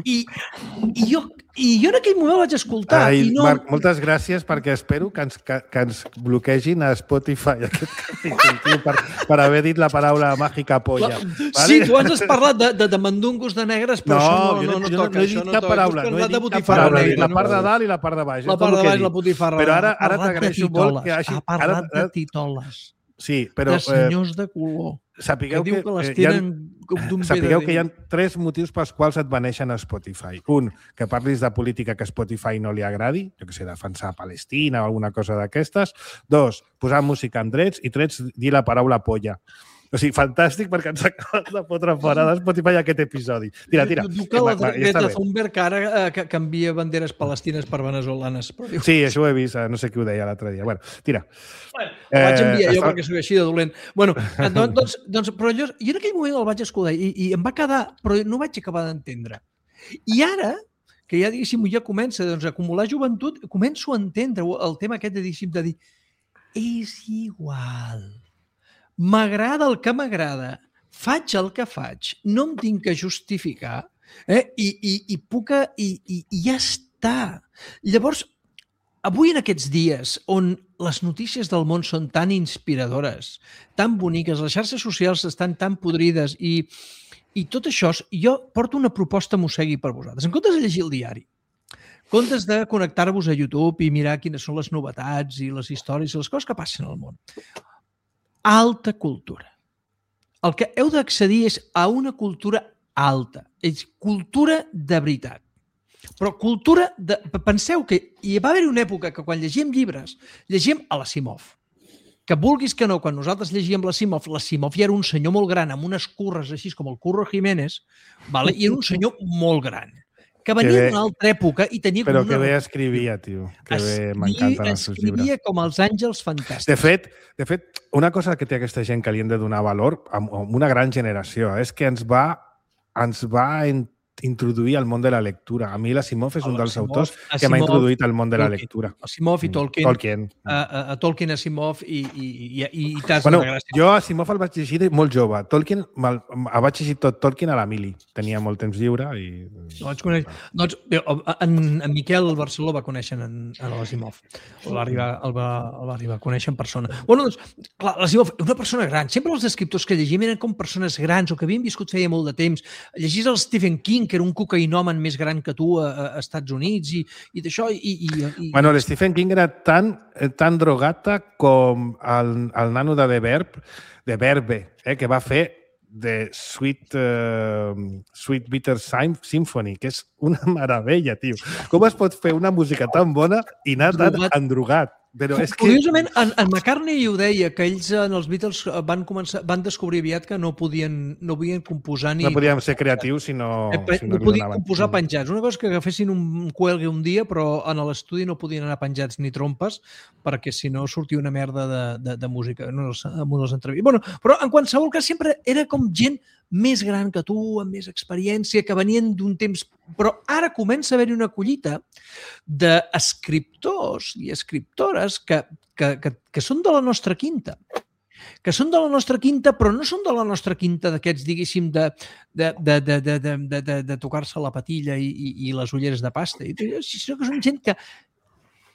i, i, jo, i jo en aquell moment vaig escoltar. Ai, i no... Marc, moltes gràcies perquè espero que ens, que, que ens bloquegin a Spotify aquest capítol per, per haver dit la paraula màgica polla. La... Vale? Sí, tu has parlat de, de, de mandungos de negres, però no, això no, no, no, no toca. No he dit cap paraula. No he dit cap paraula. La part de dalt i la part de baix. La part de baix, la botifarra. Però ara, ara t'agraeixo molt que hagi... Ha parlat de titoles. Sí, però... De senyors de color. Sapigueu que, que, les eh, hi ha, sapigueu que hi ha dins. tres motius pels quals et beneixen a Spotify. Un, que parlis de política que a Spotify no li agradi, jo que sé, defensar Palestina o alguna cosa d'aquestes. Dos, posar música amb drets. I tres, dir la paraula polla. O sigui, fantàstic perquè ens acabes de fotre fora de Spotify aquest episodi. Tira, tira. Diu que la Greta Thunberg ara eh, que canvia banderes palestines per venezolanes. Però diu... Sí, això ho he vist, no sé qui ho deia l'altre dia. Bueno, tira. Bueno, el vaig enviar eh, jo està... perquè soc així de dolent. Bueno, doncs, doncs, doncs, però jo, jo en aquell moment el vaig escoltar i, i em va quedar, però no vaig acabar d'entendre. I ara, que ja diguéssim, ja comença doncs, a acumular joventut, començo a entendre el tema aquest de, diguéssim, de dir és igual. M'agrada el que m'agrada, faig el que faig, no em tinc que justificar eh? I, i, i puc i, i, i ja està. Llavors, avui en aquests dies on les notícies del món són tan inspiradores, tan boniques, les xarxes socials estan tan podrides i, i tot això, jo porto una proposta mossegui per vosaltres. En comptes de llegir el diari, en comptes de connectar-vos a YouTube i mirar quines són les novetats i les històries i les coses que passen al món, alta cultura. El que heu d'accedir és a una cultura alta. És cultura de veritat. Però cultura de... Penseu que hi va haver una època que quan llegíem llibres, llegíem a l'Asimov. Que vulguis que no, quan nosaltres llegíem l'Asimov, l'Asimov ja era un senyor molt gran, amb unes curres així com el Curro Jiménez, vale? I era un senyor molt gran. Que venia d'una altra època i tenia... Però com una... que bé escrivia, tio. Que bé m'encanten els seus llibres. Escrivia com els àngels fantàstics. De fet, de fet, una cosa que té aquesta gent que li hem de donar valor, amb una gran generació, és que ens va, ens va introduir al món de la lectura. A mi l'Asimov és un dels Asimov, autors que Asimov, m'ha introduït al món de la Tolkien. lectura. Asimov i Tolkien. Tolkien. A, a, a Tolkien, Asimov i, i, i, i, i t'has Bueno, de gràcia. jo Asimov el vaig llegir de molt jove. Tolkien, el, el vaig llegir tot Tolkien a la mili. Tenia molt temps lliure i... No vaig conèixer. Doncs, bé, en, en Miquel Barceló va conèixer en, en l'Asimov. El va, arribar, el, va, el va arribar a conèixer en persona. Bueno, doncs, clar, l'Asimov, una persona gran. Sempre els escriptors que llegim eren com persones grans o que havien viscut feia molt de temps. Llegís el Stephen King, que era un cocaïnomen més gran que tu a, a Estats Units i, i d'això... I, i, i, bueno, l'Stephen King era tan, tan drogata com el, el nano de The Verb, de Verbe, eh, que va fer de Sweet, uh, Sweet Bitter Symphony, que és una meravella, tio. Com es pot fer una música tan bona i anar tan endrogat? Però és que... Curiosament, en, en McCartney ho deia, que ells en els Beatles van, començar, van descobrir aviat que no podien, no podien composar ni... No podíem ser creatius si no... Eh, si no, no podien composar penjats. Una cosa que agafessin un cuelgue un dia, però en l'estudi no podien anar penjats ni trompes, perquè si no sortia una merda de, de, de música en les, en les entrevistes. Bueno, però en qualsevol cas sempre era com gent més gran que tu, amb més experiència, que venien d'un temps... Però ara comença a haver-hi una collita d'escriptors i escriptores que, que, que, que són de la nostra quinta. Que són de la nostra quinta, però no són de la nostra quinta d'aquests, diguéssim, de, de, de, de, de, de, de, de, de tocar-se la patilla i, i, i les ulleres de pasta, sinó que són gent que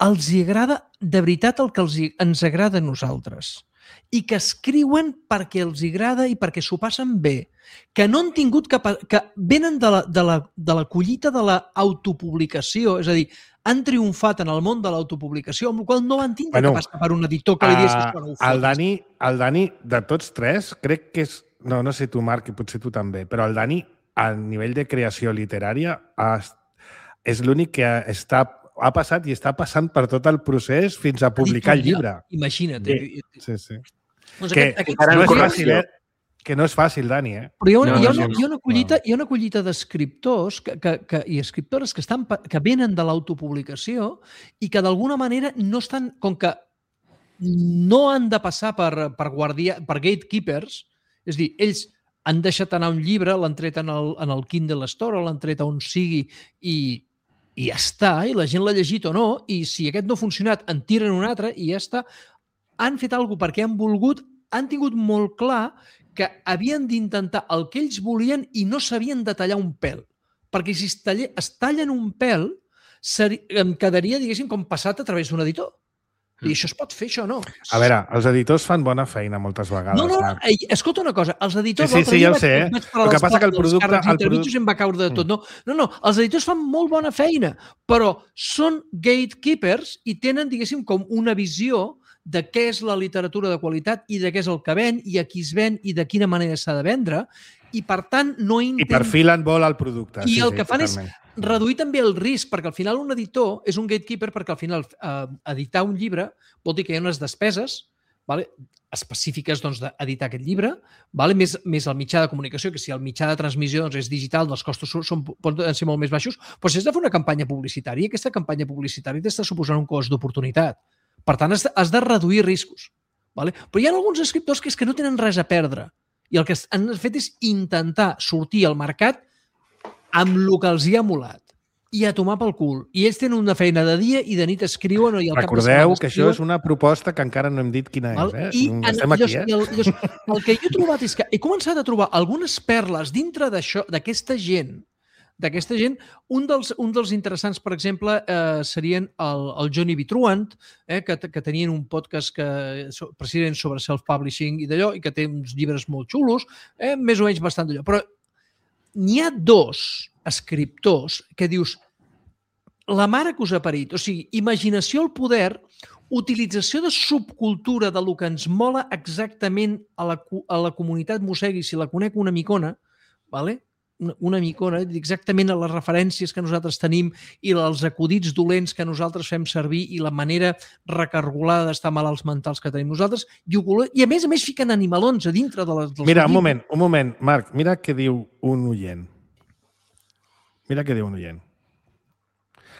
els hi agrada de veritat el que els hi, ens agrada a nosaltres i que escriuen perquè els agrada i perquè s'ho passen bé, que no han tingut cap... que venen de la, de la, de la collita de l'autopublicació, és a dir, han triomfat en el món de l'autopublicació, amb la qual no van tindre bueno, que passar per un editor que li digués que no ho fotis. El Dani, el Dani, de tots tres, crec que és... No, no sé tu, Marc, i potser tu també, però el Dani, a nivell de creació literària, és l'únic que està ha passat i està passant per tot el procés fins a publicar el llibre. Imagina't. Sí, sí. sí. Doncs que, aquest, aquest... no és fàcil, eh? que no és fàcil, Dani. Eh? Però hi ha una, no, hi ha una, no, hi ha una collita, hi ha una collita d'escriptors que, que, que, i escriptores que, estan, que venen de l'autopublicació i que d'alguna manera no estan... Com que no han de passar per, per, guardia, per gatekeepers, és a dir, ells han deixat anar un llibre, l'han tret en el, en el Kindle Store o l'han tret on sigui i i ja està, i la gent l'ha llegit o no, i si aquest no ha funcionat, en tiren un altre i ja està. Han fet alguna cosa perquè han volgut, han tingut molt clar que havien d'intentar el que ells volien i no s'havien de tallar un pèl. Perquè si es, talle, es tallen un pèl, seri, em quedaria, diguéssim, com passat a través d'un editor. I això es pot fer, això no. A veure, els editors fan bona feina moltes vegades. No, no, no. Escolta una cosa, els editors... Sí, sí, sí ja ho sé. Eh? El que passa que el producte... El producte em va caure de tot. No, no, no, els editors fan molt bona feina, però són gatekeepers i tenen, diguéssim, com una visió de què és la literatura de qualitat i de què és el que ven i a qui es ven i de quina manera s'ha de vendre i, per tant, no intenten... I perfilen molt el producte. I sí, el sí, que fan totalment. és reduir també el risc, perquè al final un editor és un gatekeeper perquè al final eh, editar un llibre vol dir que hi ha unes despeses vale, específiques doncs, d'editar aquest llibre, vale, més, més el mitjà de comunicació, que si el mitjà de transmissió doncs, és digital, els costos són, poden ser molt més baixos, però si has de fer una campanya publicitària, aquesta campanya publicitària t'està suposant un cost d'oportunitat. Per tant, has de, has de reduir riscos. Vale? Però hi ha alguns escriptors que és que no tenen res a perdre i el que han fet és intentar sortir al mercat amb el que els hi ha molat i a tomar pel cul. I ells tenen una feina de dia i de nit escriuen... I al Recordeu cap que això és una proposta que encara no hem dit quina val? és. Eh? I Estem aquí, eh? El, el, el que jo he trobat és que he començat a trobar algunes perles dintre d'això, d'aquesta gent, d'aquesta gent, un dels, un dels interessants, per exemple, eh, serien el, el Johnny B. Truant, eh, que, que tenien un podcast que, precisament sobre self-publishing i d'allò, i que té uns llibres molt xulos, eh, més o menys bastant d'allò. Però n'hi ha dos escriptors que dius la mare que us ha parit. O sigui, imaginació al poder, utilització de subcultura de lo que ens mola exactament a la, a la comunitat mossegui, si la conec una micona, vale? una, una micona, exactament a les referències que nosaltres tenim i els acudits dolents que nosaltres fem servir i la manera recargolada d'estar malalts mentals que tenim nosaltres, i, i a més a més fiquen animalons a dintre de les... Mira, un moment, un moment, Marc, mira què diu un oient. Mira què diu un oient.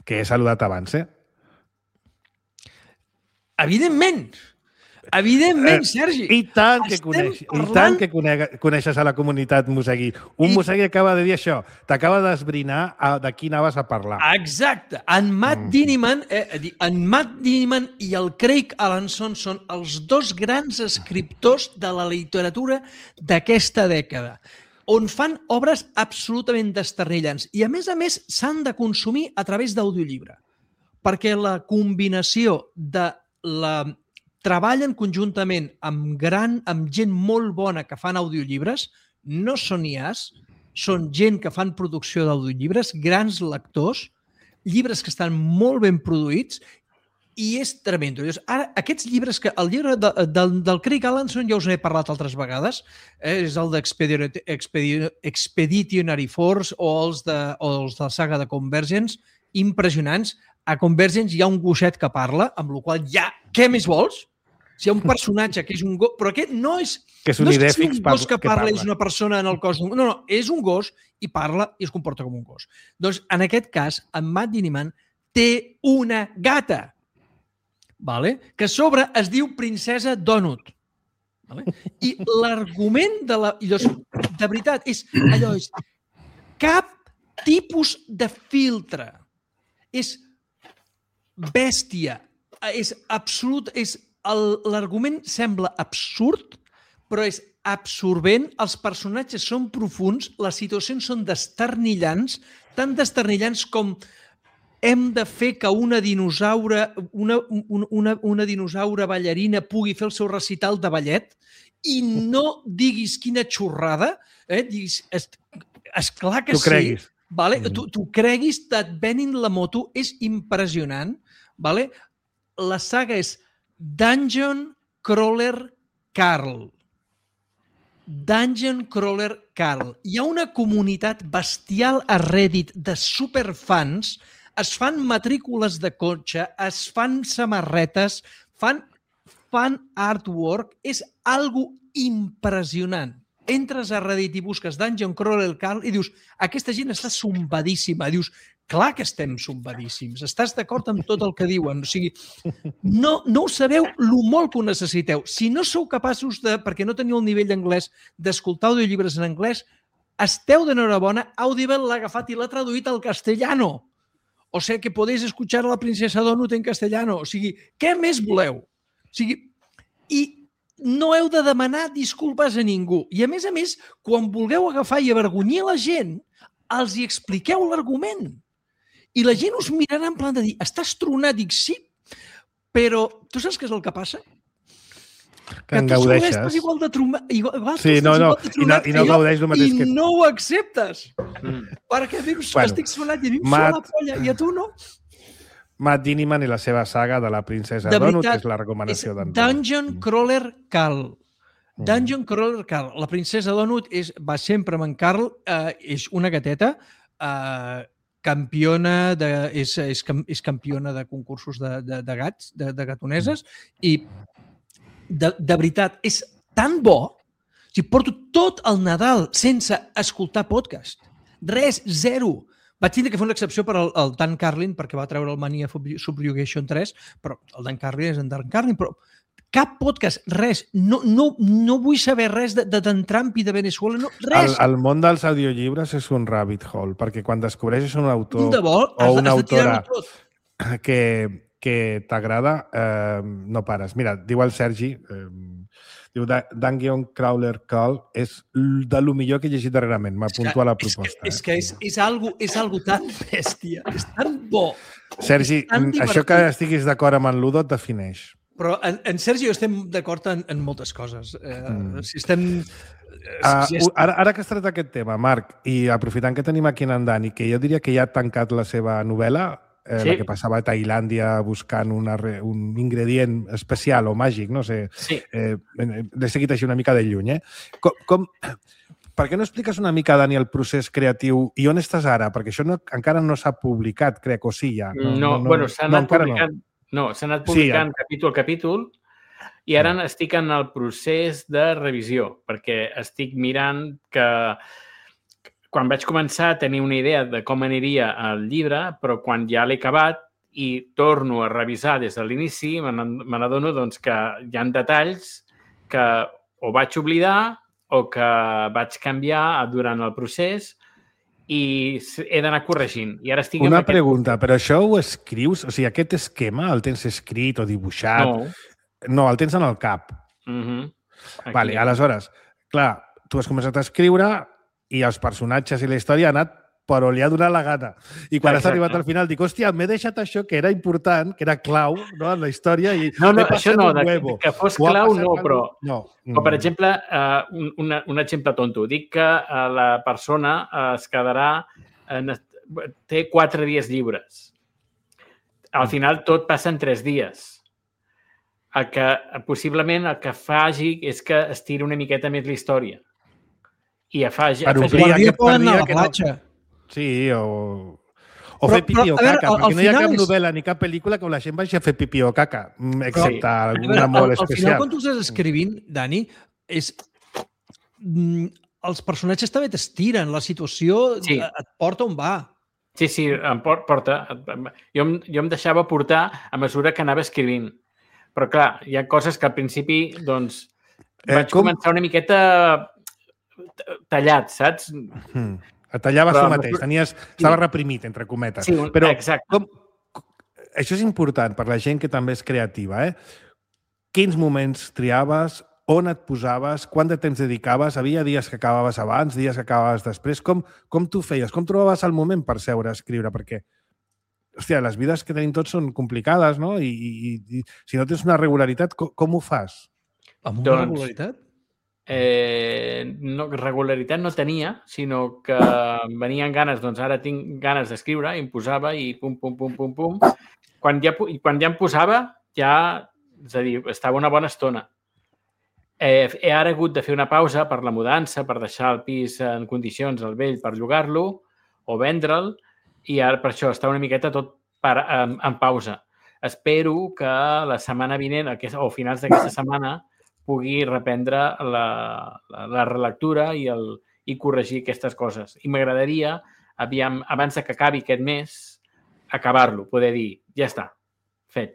Que he saludat abans, eh? Evidentment! Evidentment, Sergi. I tant que, coneix, parlant... i tant que conega, coneixes a la comunitat Mosegui. Un I... Mosegui acaba de dir això. T'acaba d'esbrinar de qui anaves a parlar. Exacte. En Matt mm. Diniman, eh, en Matt Diniman i el Craig Alanson són els dos grans escriptors de la literatura d'aquesta dècada, on fan obres absolutament desternillants. I, a més a més, s'han de consumir a través d'audiollibre, perquè la combinació de la... treballen conjuntament amb, gran, amb gent molt bona que fan audiollibres, no són I As, són gent que fan producció d'audiollibres, grans lectors, llibres que estan molt ben produïts, i és tremendo. Ara, aquests llibres, que el llibre de, de, del Craig Alanson ja us n'he parlat altres vegades, eh, és el d'Expeditionary Force o els de, o els de la saga de Convergence, impressionants. A Convergence hi ha un gosset que parla, amb la qual ja, què més vols? Si hi ha un personatge que és un gos... Però aquest no és... Que és un no és que idèfix un gos que que parla, parla. És una persona en el cos... No, no, és un gos i parla i es comporta com un gos. Doncs, en aquest cas, en Matt Diniman té una gata, vale? Que a sobre es diu Princesa Donut. Vale? I l'argument de la... I doncs, de veritat, és allò, és cap tipus de filtre. És bèstia, és absolut, és l'argument sembla absurd, però és absorbent, els personatges són profuns, les situacions són desternillants, tan desternillants com hem de fer que una dinosaure, una, una, una dinosaure ballarina pugui fer el seu recital de ballet i no diguis quina xorrada, eh? Diguis, és, esclar que tu sí. Creguis. Vale? Tu, tu creguis, et venin la moto, és impressionant. Vale? La saga és Dungeon Crawler Carl. Dungeon Crawler Carl. Hi ha una comunitat bestial a Reddit de superfans, es fan matrícules de cotxe, es fan samarretes, fan, fan artwork, és algo impressionant. Entres a Reddit i busques Dungeon Crawler Carl i dius, aquesta gent està sombadíssima. Dius, clar que estem sombadíssims. Estàs d'acord amb tot el que diuen. O sigui, no, no ho sabeu lo molt que ho necessiteu. Si no sou capaços de, perquè no teniu el nivell d'anglès, d'escoltar audiollibres en anglès, esteu d'enhorabona. Audible l'ha agafat i l'ha traduït al castellano. O sigui, que podeu escuchar a la princesa Donut en castellano. O sigui, què més voleu? O sigui, i no heu de demanar disculpes a ningú. I, a més a més, quan vulgueu agafar i avergonyir la gent, els hi expliqueu l'argument. I la gent us mirarà en plan de dir, estàs tronat? Dic, sí, però tu saps què és el que passa? Que en gaudeixes. Estàs igual de tronat. Igual, sí, no, no, i no, i no gaudeix el mateix i que... I no ho acceptes. Mm. Perquè dius, bueno, estic tronat i a mi em Matt... la polla, i a tu no. Matt Diniman i la seva saga de la princesa de Donut, veritat, que és la recomanació d'en Dungeon Crawler Carl. Dungeon Crawler Carl. La princesa Donut és, va sempre amb en Carl, eh, és una gateta, eh, campiona de, és, és, és campiona de concursos de, de, de gats, de, de gatoneses, i de, de veritat, és tan bo, o sigui, porto tot el Nadal sense escoltar podcast. Res, zero. Vaig tindre que fer una excepció per al, al Dan Carlin, perquè va treure el Mania Subjugation tres, però el Dan Carlin és en Dan Carlin, però cap podcast, res. No, no, no vull saber res de, de Dan Trump i de Venezuela, no, res. El, el món dels audiollibres és un rabbit hole, perquè quan descobreixes un autor un de vol, o una has, has autora que, que t'agrada, eh, no pares. Mira, diu el Sergi... Eh, diu, Dungeon Crawler Call és de lo millor que he llegit darrerament. M'apunto a la proposta. És que és, és, algo, és algo tan bèstia, és tan bo. Sergi, tan això que estiguis d'acord amb en Ludo et defineix. Però en, en Sergi i jo estem d'acord en, en moltes coses. Eh, mm. Si estem... Uh, si est... ara, ara que has tret aquest tema, Marc, i aprofitant que tenim aquí en Dani, que jo diria que ja ha tancat la seva novel·la, Eh, sí. La que passava a Tailàndia buscant una, un ingredient especial o màgic, no sé. Sí. Eh, l'he seguit així una mica de lluny. Eh? Com, com, per què no expliques una mica, Dani, el procés creatiu i on estàs ara? Perquè això no, encara no s'ha publicat, crec, o sí ja. No, no, no bueno, s'ha anat, no, publicant, no. No, anat publicant sí, capítol a capítol i ara no. estic en el procés de revisió, perquè estic mirant que... Quan vaig començar a tenir una idea de com aniria el llibre, però quan ja l'he acabat i torno a revisar des de l'inici, me n'adono doncs, que hi ha detalls que o vaig oblidar o que vaig canviar durant el procés i he d'anar corregint. I ara estic Una aquest... pregunta, però això ho escrius? O sigui, aquest esquema el tens escrit o dibuixat? No. No, el tens en el cap. Uh-huh. Vale, aleshores, clar, tu has començat a escriure i els personatges i la història han anat per on li ha donat la gana. I quan Exacte. has arribat al final, dic, hòstia, m'he deixat això que era important, que era clau, no?, en la història. I no, no, he això no, un de, huevo. que fos Ho ha clau passat no, algú- però... No. O, per exemple, uh, un, una, un exemple tonto. Dic que uh, la persona uh, es quedarà... En, té quatre dies lliures. Al final tot passa en tres dies. El que, possiblement el que faci és que estiri una miqueta més la història. I afagi... Per afagi... omplir Guardia aquest poden anar a dia la que no- platja. Sí, o... O Però- fer pipí però, o a veure, caca, al- al perquè no hi ha final cap és- novel·la ni cap pel·lícula que la gent vagi a fer pipí o caca, mm, excepte Sí. alguna A veure, molt al, al especial. final, quan tu estàs escrivint, Dani, és... mm, els personatges també t'estiren, la situació Sí. et porta on va. Sí, sí, em por- porta. Jo em, jo em deixava portar a mesura que anava escrivint. Però, clar, hi ha coses que al principi, doncs, Eh, vaig com- començar una miqueta tallat, saps? Mm. Et tallaves Però tu a mateix, mesura- tenies, estava reprimit, entre cometes. Sí, un- Però exacte. com, això és important per la gent que també és creativa. Eh? Quins moments triaves? On et posaves? Quant de temps dedicaves? Havia dies que acabaves abans, dies que acabaves després? Com, com tu feies? Com trobaves el moment per seure a escriure? Perquè, hòstia, les vides que tenim tots són complicades, no? I, i, i si no tens una regularitat, com, com ho fas? Amb una Doncs- regularitat? Eh, no, regularitat no tenia, sinó que em venien ganes, doncs ara tinc ganes d'escriure, i em posava i pum, pum, pum, pum, pum. Quan ja, pu- i quan ja em posava, ja, és a dir, estava una bona estona. Eh, he ara hagut de fer una pausa per la mudança, per deixar el pis en condicions, el vell, per llogar-lo o vendre'l, i ara per això està una miqueta tot per, en, en pausa. Espero que la setmana vinent, aquesta, o finals d'aquesta setmana, pugui reprendre la, la, la relectura i, el, i corregir aquestes coses. I m'agradaria, aviam, abans de que acabi aquest mes, acabar-lo, poder dir, ja està, fet.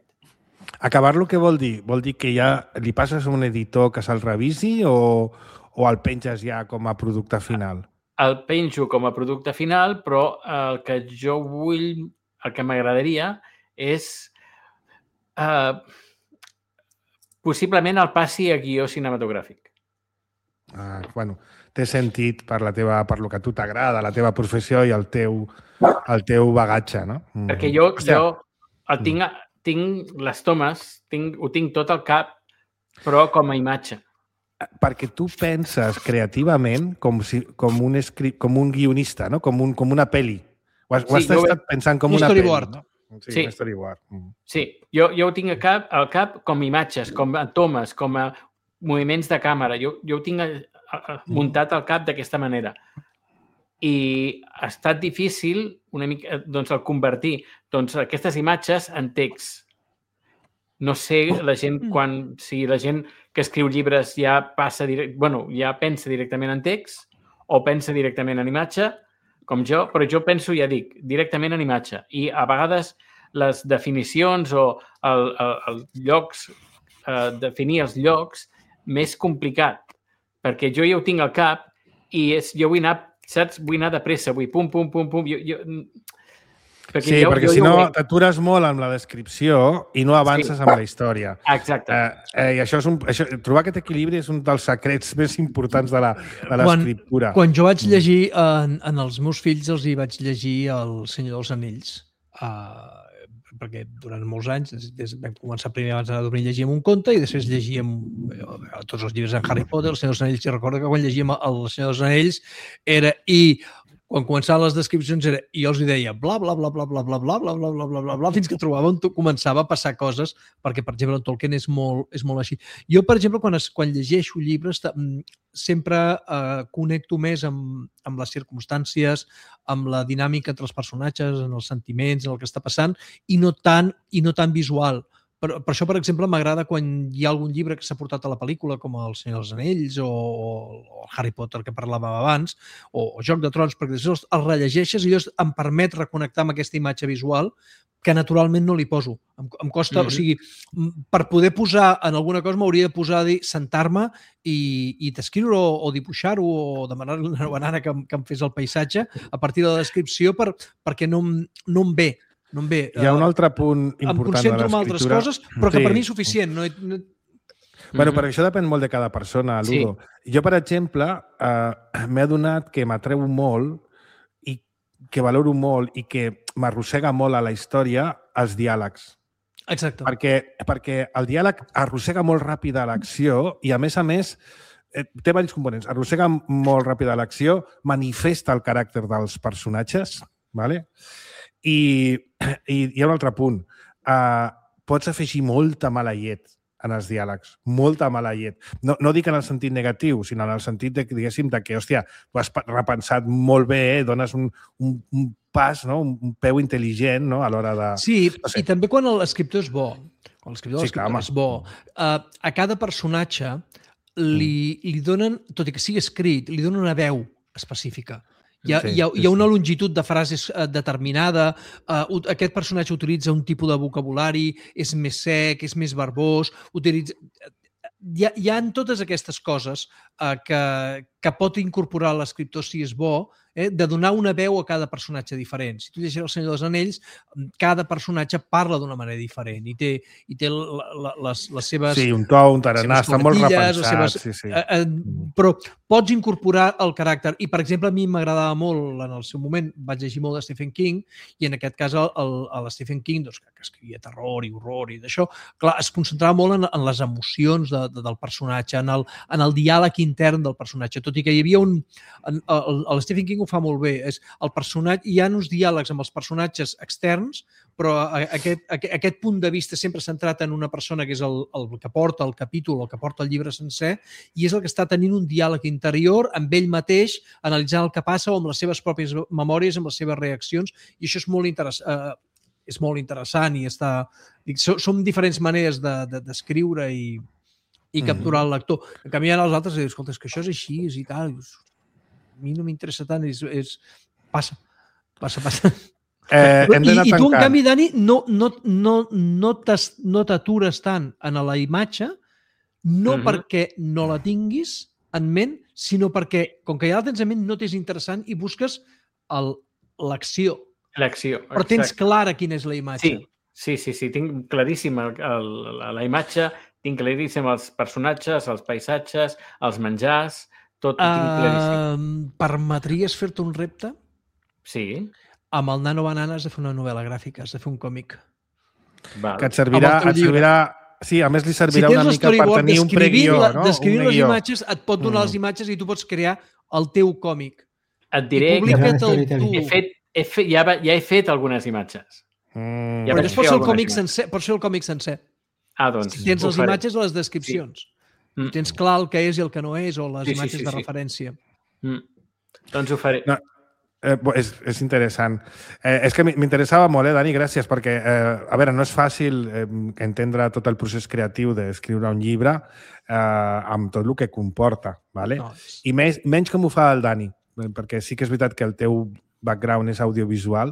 Acabar-lo què vol dir? Vol dir que ja li passes a un editor que se'l revisi o, o el penges ja com a producte final? El penjo com a producte final, però el que jo vull, el que m'agradaria és eh, possiblement el passi a guió cinematogràfic. Ah, bueno, té sentit per, la teva, per lo que a tu t'agrada, la teva professió i el teu, el teu bagatge, no? Mm. Perquè jo, Hòstia, jo el tinc, tinc les tomes, tinc, ho tinc tot al cap, però com a imatge. perquè tu penses creativament com, si, com, un, escri... com un guionista, no? Com, un, com una pel·li. Ho has, Sí, ho has jo estat ve- pensant com un una storyboard. pel·li. No? Sí, Sí. un storyboard. Mm. Sí, jo, jo ho tinc al cap, al cap com a imatges, com a tomes, com a moviments de càmera. Jo, jo ho tinc a, a, a, muntat al cap d'aquesta manera. I ha estat difícil una mica, doncs, el convertir doncs, aquestes imatges en text. No sé la gent quan, si la gent que escriu llibres ja passa direct, bueno, ja pensa directament en text o pensa directament en imatge, com jo, però jo penso, ja dic, directament en imatge. I a vegades les definicions o el, el, el llocs, eh, definir els llocs, més complicat, perquè jo ja ho tinc al cap i és, jo vull anar, saps? Vull anar de pressa, vull pum, pum, pum, pum. Jo, jo, perquè Sí, jo, perquè jo si ja ho no veig. t'atures molt amb la descripció i no avances Sí. amb la història. Exacte. Eh, eh, I això és un, això, trobar aquest equilibri és un dels secrets més importants de la- de Quan- l'escriptura. Quan jo vaig llegir, en, en els meus fills els hi vaig llegir El Senyor dels Anells, uh, perquè durant molts anys, des, des, vam començar primer abans d'anar a dormir, llegíem un conte i després llegíem eh, tots els llibres en Harry Potter, El Senyor dels Anells, i recordo que quan llegíem El Senyor dels Anells era i quan començaven les descripcions era, i jo els hi deia bla, bla, bla, bla, bla, bla, bla, bla, bla, bla, bla, bla, bla, fins que trobava on to- començava a passar coses, perquè, per exemple, en Tolkien és molt, és molt així. Jo, per exemple, quan, es, quan llegeixo llibres, ta- mm, sempre eh, connecto més amb, amb les circumstàncies, amb la dinàmica entre els personatges, en els sentiments, en el que està passant, i no tant, i no tan visual. per, per això, per exemple, m'agrada quan hi ha algun llibre que s'ha portat a la pel·lícula, com El Senyor dels Anells o, o Harry Potter, que parlàvem abans, o, o Joc de Trons, perquè després els rellegeixes i em permet reconnectar amb aquesta imatge visual que naturalment no li poso. Em, em costa, mm-hmm. o sigui, per poder posar en alguna cosa m'hauria de posar a dir, sentar-me i, i descriure o, o dibuixar-ho o demanar-li a una banana que, que em fes el paisatge a partir de la descripció per, perquè no, no em ve. No em ve. Hi ha un altre punt important de l'escriptura. Em concentro en altres coses, però que sí. per mi és suficient. No, no... Bueno, però això depèn molt de cada persona, Ludo. Sí. Jo, per exemple, eh, m'he adonat que m'atreu molt i que valoro molt i que m'arrossega molt a la història els diàlegs. Exacte. Perquè, perquè el diàleg arrossega molt ràpid a l'acció i, a més a més, eh, té diversos components. Arrossega molt ràpid a l'acció, manifesta el caràcter dels personatges, ¿vale? I, i hi ha un altre punt. Uh, pots afegir molta mala llet en els diàlegs, molta mala llet. No, no dic en el sentit negatiu, sinó en el sentit de, diguéssim, de que, hòstia, tu has repensat molt bé, eh? Dones un, un, un pas, no? un peu intel·ligent, no? A l'hora de... Sí, no sé. I també quan l'escriptor és bo, quan l'escriptor, sí, l'escriptor és bo, uh, a cada personatge li, li donen, tot i que sigui escrit, li donen una veu específica. Hi ha, sí, hi, ha, hi ha una longitud de frases uh, determinada, uh, aquest personatge utilitza un tipus de vocabulari, és més sec, és més verbós, utilitza... Hi ha, hi ha totes aquestes coses uh, que, que pot incorporar l'escriptor si és bo, eh, de donar una veu a cada personatge diferent. Si tu llegeixes El Senyor dels Anells, cada personatge parla d'una manera diferent i té, i té la, la, les, les seves... Sí, un to, un tarannà, està molt repensat. Seves, sí, sí. Eh, eh, però pots incorporar el caràcter. I, per exemple, a mi m'agradava molt, en el seu moment, vaig llegir molt de Stephen King, i en aquest cas el, el, el Stephen King, doncs, que escrivia terror i horror i d'això, clar, es concentrava molt en, en les emocions de, de, del personatge, en el, en el diàleg intern del personatge, tot i que hi havia un... En, el, el Stephen King ho fa molt bé, és el personatge, hi ha uns diàlegs amb els personatges externs, però aquest, aquest, aquest punt de vista sempre centrat en una persona que és el, el que porta el capítol o que porta el llibre sencer, i és el que està tenint un diàleg interior amb ell mateix, analitzant el que passa o amb les seves pròpies memòries, amb les seves reaccions, i això és molt interessant. Eh, és molt interessant i està... Dic, són diferents maneres d'escriure de, de, i, i capturar el lector. En canvi, els altres diuen, escolta, és que això és així és i tal. A mi no m'interessa tant. És, és... Passa, passa, passa. Eh, hem I, I tu, en canvi, Dani, no, no, no, no t'atures tant en la imatge, no uh-huh. perquè no la tinguis en ment, sinó perquè, com que ja la tens en ment, no t'és interessant i busques l'acció. L'acció, Però tens exacte. Clara quina és la imatge. Sí, sí, sí, sí. Tinc claríssima el, la, la imatge, tinc claríssim els personatges, els paisatges, els menjars, tot ho tinc claríssim. Uh, permetries fer-te un repte? Sí. Amb el Nano Banana has de fer una novel·la gràfica, has de fer un còmic. Val. Que et servirà... Et servirà... Sí, a més li servirà si una mica per tenir un preguió, no? Descrivint les imatges, et pot donar mm. les imatges i tu pots crear el teu còmic. Et diré que he fet, he fet, ja, ja he fet algunes imatges. Mm. Ja Però llavors pots fer el còmic sencer. Pots fer el còmic sencer. Ah, doncs. Si tens les faré. Imatges a les descripcions. Sí. Mm. Tens clar el que és i el que no és, o les sí, imatges sí, sí, de sí. referència. Mm. Doncs ho faré. No. Eh, és, és interessant. Eh, és que m'interessava molt, eh, Dani, gràcies, perquè, eh, a veure, no és fàcil eh, entendre tot el procés creatiu d'escriure un llibre eh, amb tot el que comporta, ¿vale? No. I més, menys com ho fa el Dani, perquè sí que és veritat que el teu background és audiovisual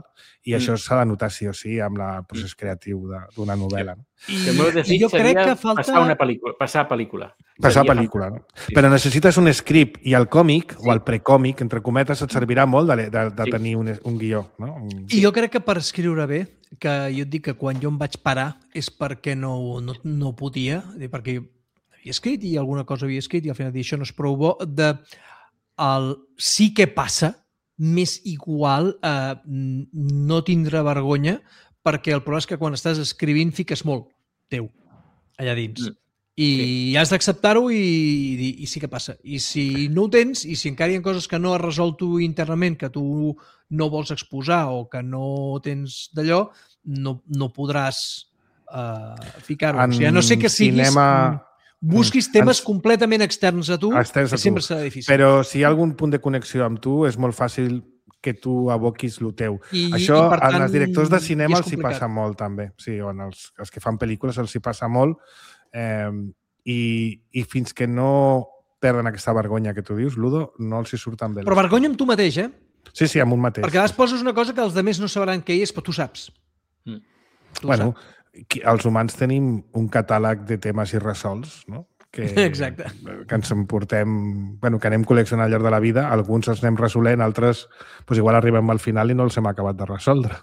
i mm. això s'ha de notar sí o sí amb el procés creatiu d'una novel·la. No? I, el meu desig jo crec que falta... passar una pel·lícula. Passar pel·lícula. Passar pel·lícula, no? Sí. Però necessites un script i el còmic, sí. o el precòmic, entre cometes, et servirà molt de, de, de sí. tenir un, un guió. No? Un... I jo crec que per escriure bé, que jo et dic que quan jo em vaig parar és perquè no, no, no podia, perquè havia escrit i alguna cosa havia escrit i al final dir això no és prou bo, de el sí que passa, més igual eh, no tindre vergonya, perquè el problema és que quan estàs escrivint fiques molt teu allà dins. Mm. I sí. has d'acceptar-ho i, i, i sí que passa. I si no ho tens, i si encara hi ha coses que no has resolt tu internament, que tu no vols exposar o que no tens d'allò, no, no podràs eh, ficar-ho. O sigui, a no sé que siguis... Cinema... Busquis temes ens... completament externs a tu, externs a que tu. Sempre serà difícil. Però si hi ha algun punt de connexió amb tu, és molt fàcil que tu aboquis el teu. I, Això i, per tant, als directors de i cinema és els hi complicat. passa molt, també. Sí, o els, els que fan pel·lícules els hi passa molt. Eh, i, I fins que no perden aquesta vergonya que tu dius, Ludo, no els hi surten bé. Però vergonya amb tu mateix, eh? Sí, sí, amb un mateix. Perquè a vegades poses una cosa que els altres no sabran què és, però tu saps. Mm. Tu Bueno, saps. qui- els humans tenim un catàleg de temes irresolts, no? Que, Exacte. que ens emportem, bueno, que anem col·leccionant al llarg de la vida, alguns els anem resolent, altres pues, igual arribem al final i no els hem acabat de resoldre,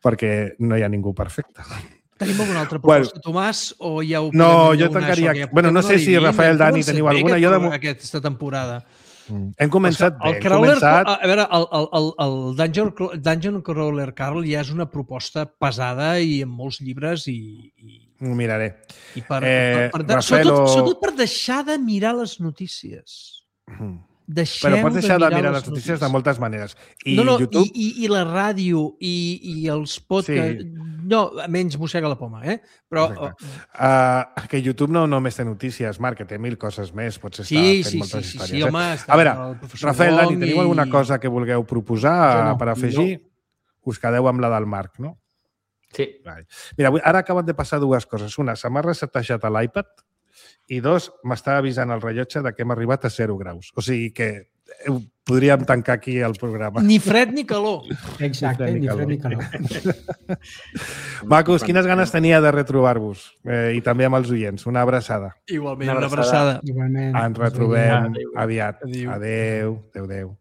perquè no hi ha ningú perfecte. Tenim alguna altra Bueno. proposta, Tomàs, o ja ho No, podem jo donar, tancaria- això, que ja bueno, no portem sé si una hora i Rafael, vint, hem Dani, començat teniu bé alguna. aquest- Jo de mo- aquesta temporada. Hem començat el bé, hem Crawler, començat... a veure, el, el, el, el Dungeon, Dungeon Crawler Carl ja és una proposta pesada i amb molts llibres i, i, Ho miraré. i per, Eh, per, per, per, Rafael, sobretot, o- sobretot per deixar de mirar les notícies. Mhm. Deixeu Però pots deixar de mirar les les notícies de moltes maneres. I no, no, YouTube... i, i, i la ràdio i, i els podcasts... Sí. No, menys mossega la poma, eh? Però... Uh, que YouTube no només té notícies, Marc, que té mil coses més. Pots estar Sí, fent sí, sí, moltes sí, històries. sí, eh? home... A veure, el professor Rafael, Dani, Wong teniu i- alguna cosa que vulgueu proposar Jo no, per afegir? Us quedeu amb la del Marc, no? Sí. Vale. Mira, avui- ara acaben de passar dues coses. Una, se m'ha resetejat a l'iPad i dos, m'està avisant el rellotge de que hem arribat a zero graus. O sigui que eh, podríem tancar aquí el programa. Ni fred ni calor. Exacte, Ni ni fred fred ni ni calor. Macos, quines ganes tenia de retrobar-vos? Eh, I també amb els oients. Una abraçada. Igualment, Una una abraçada. abraçada. Igualment. Ens retrobem Adéu. aviat. Adéu. Adéu. Adéu, adéu.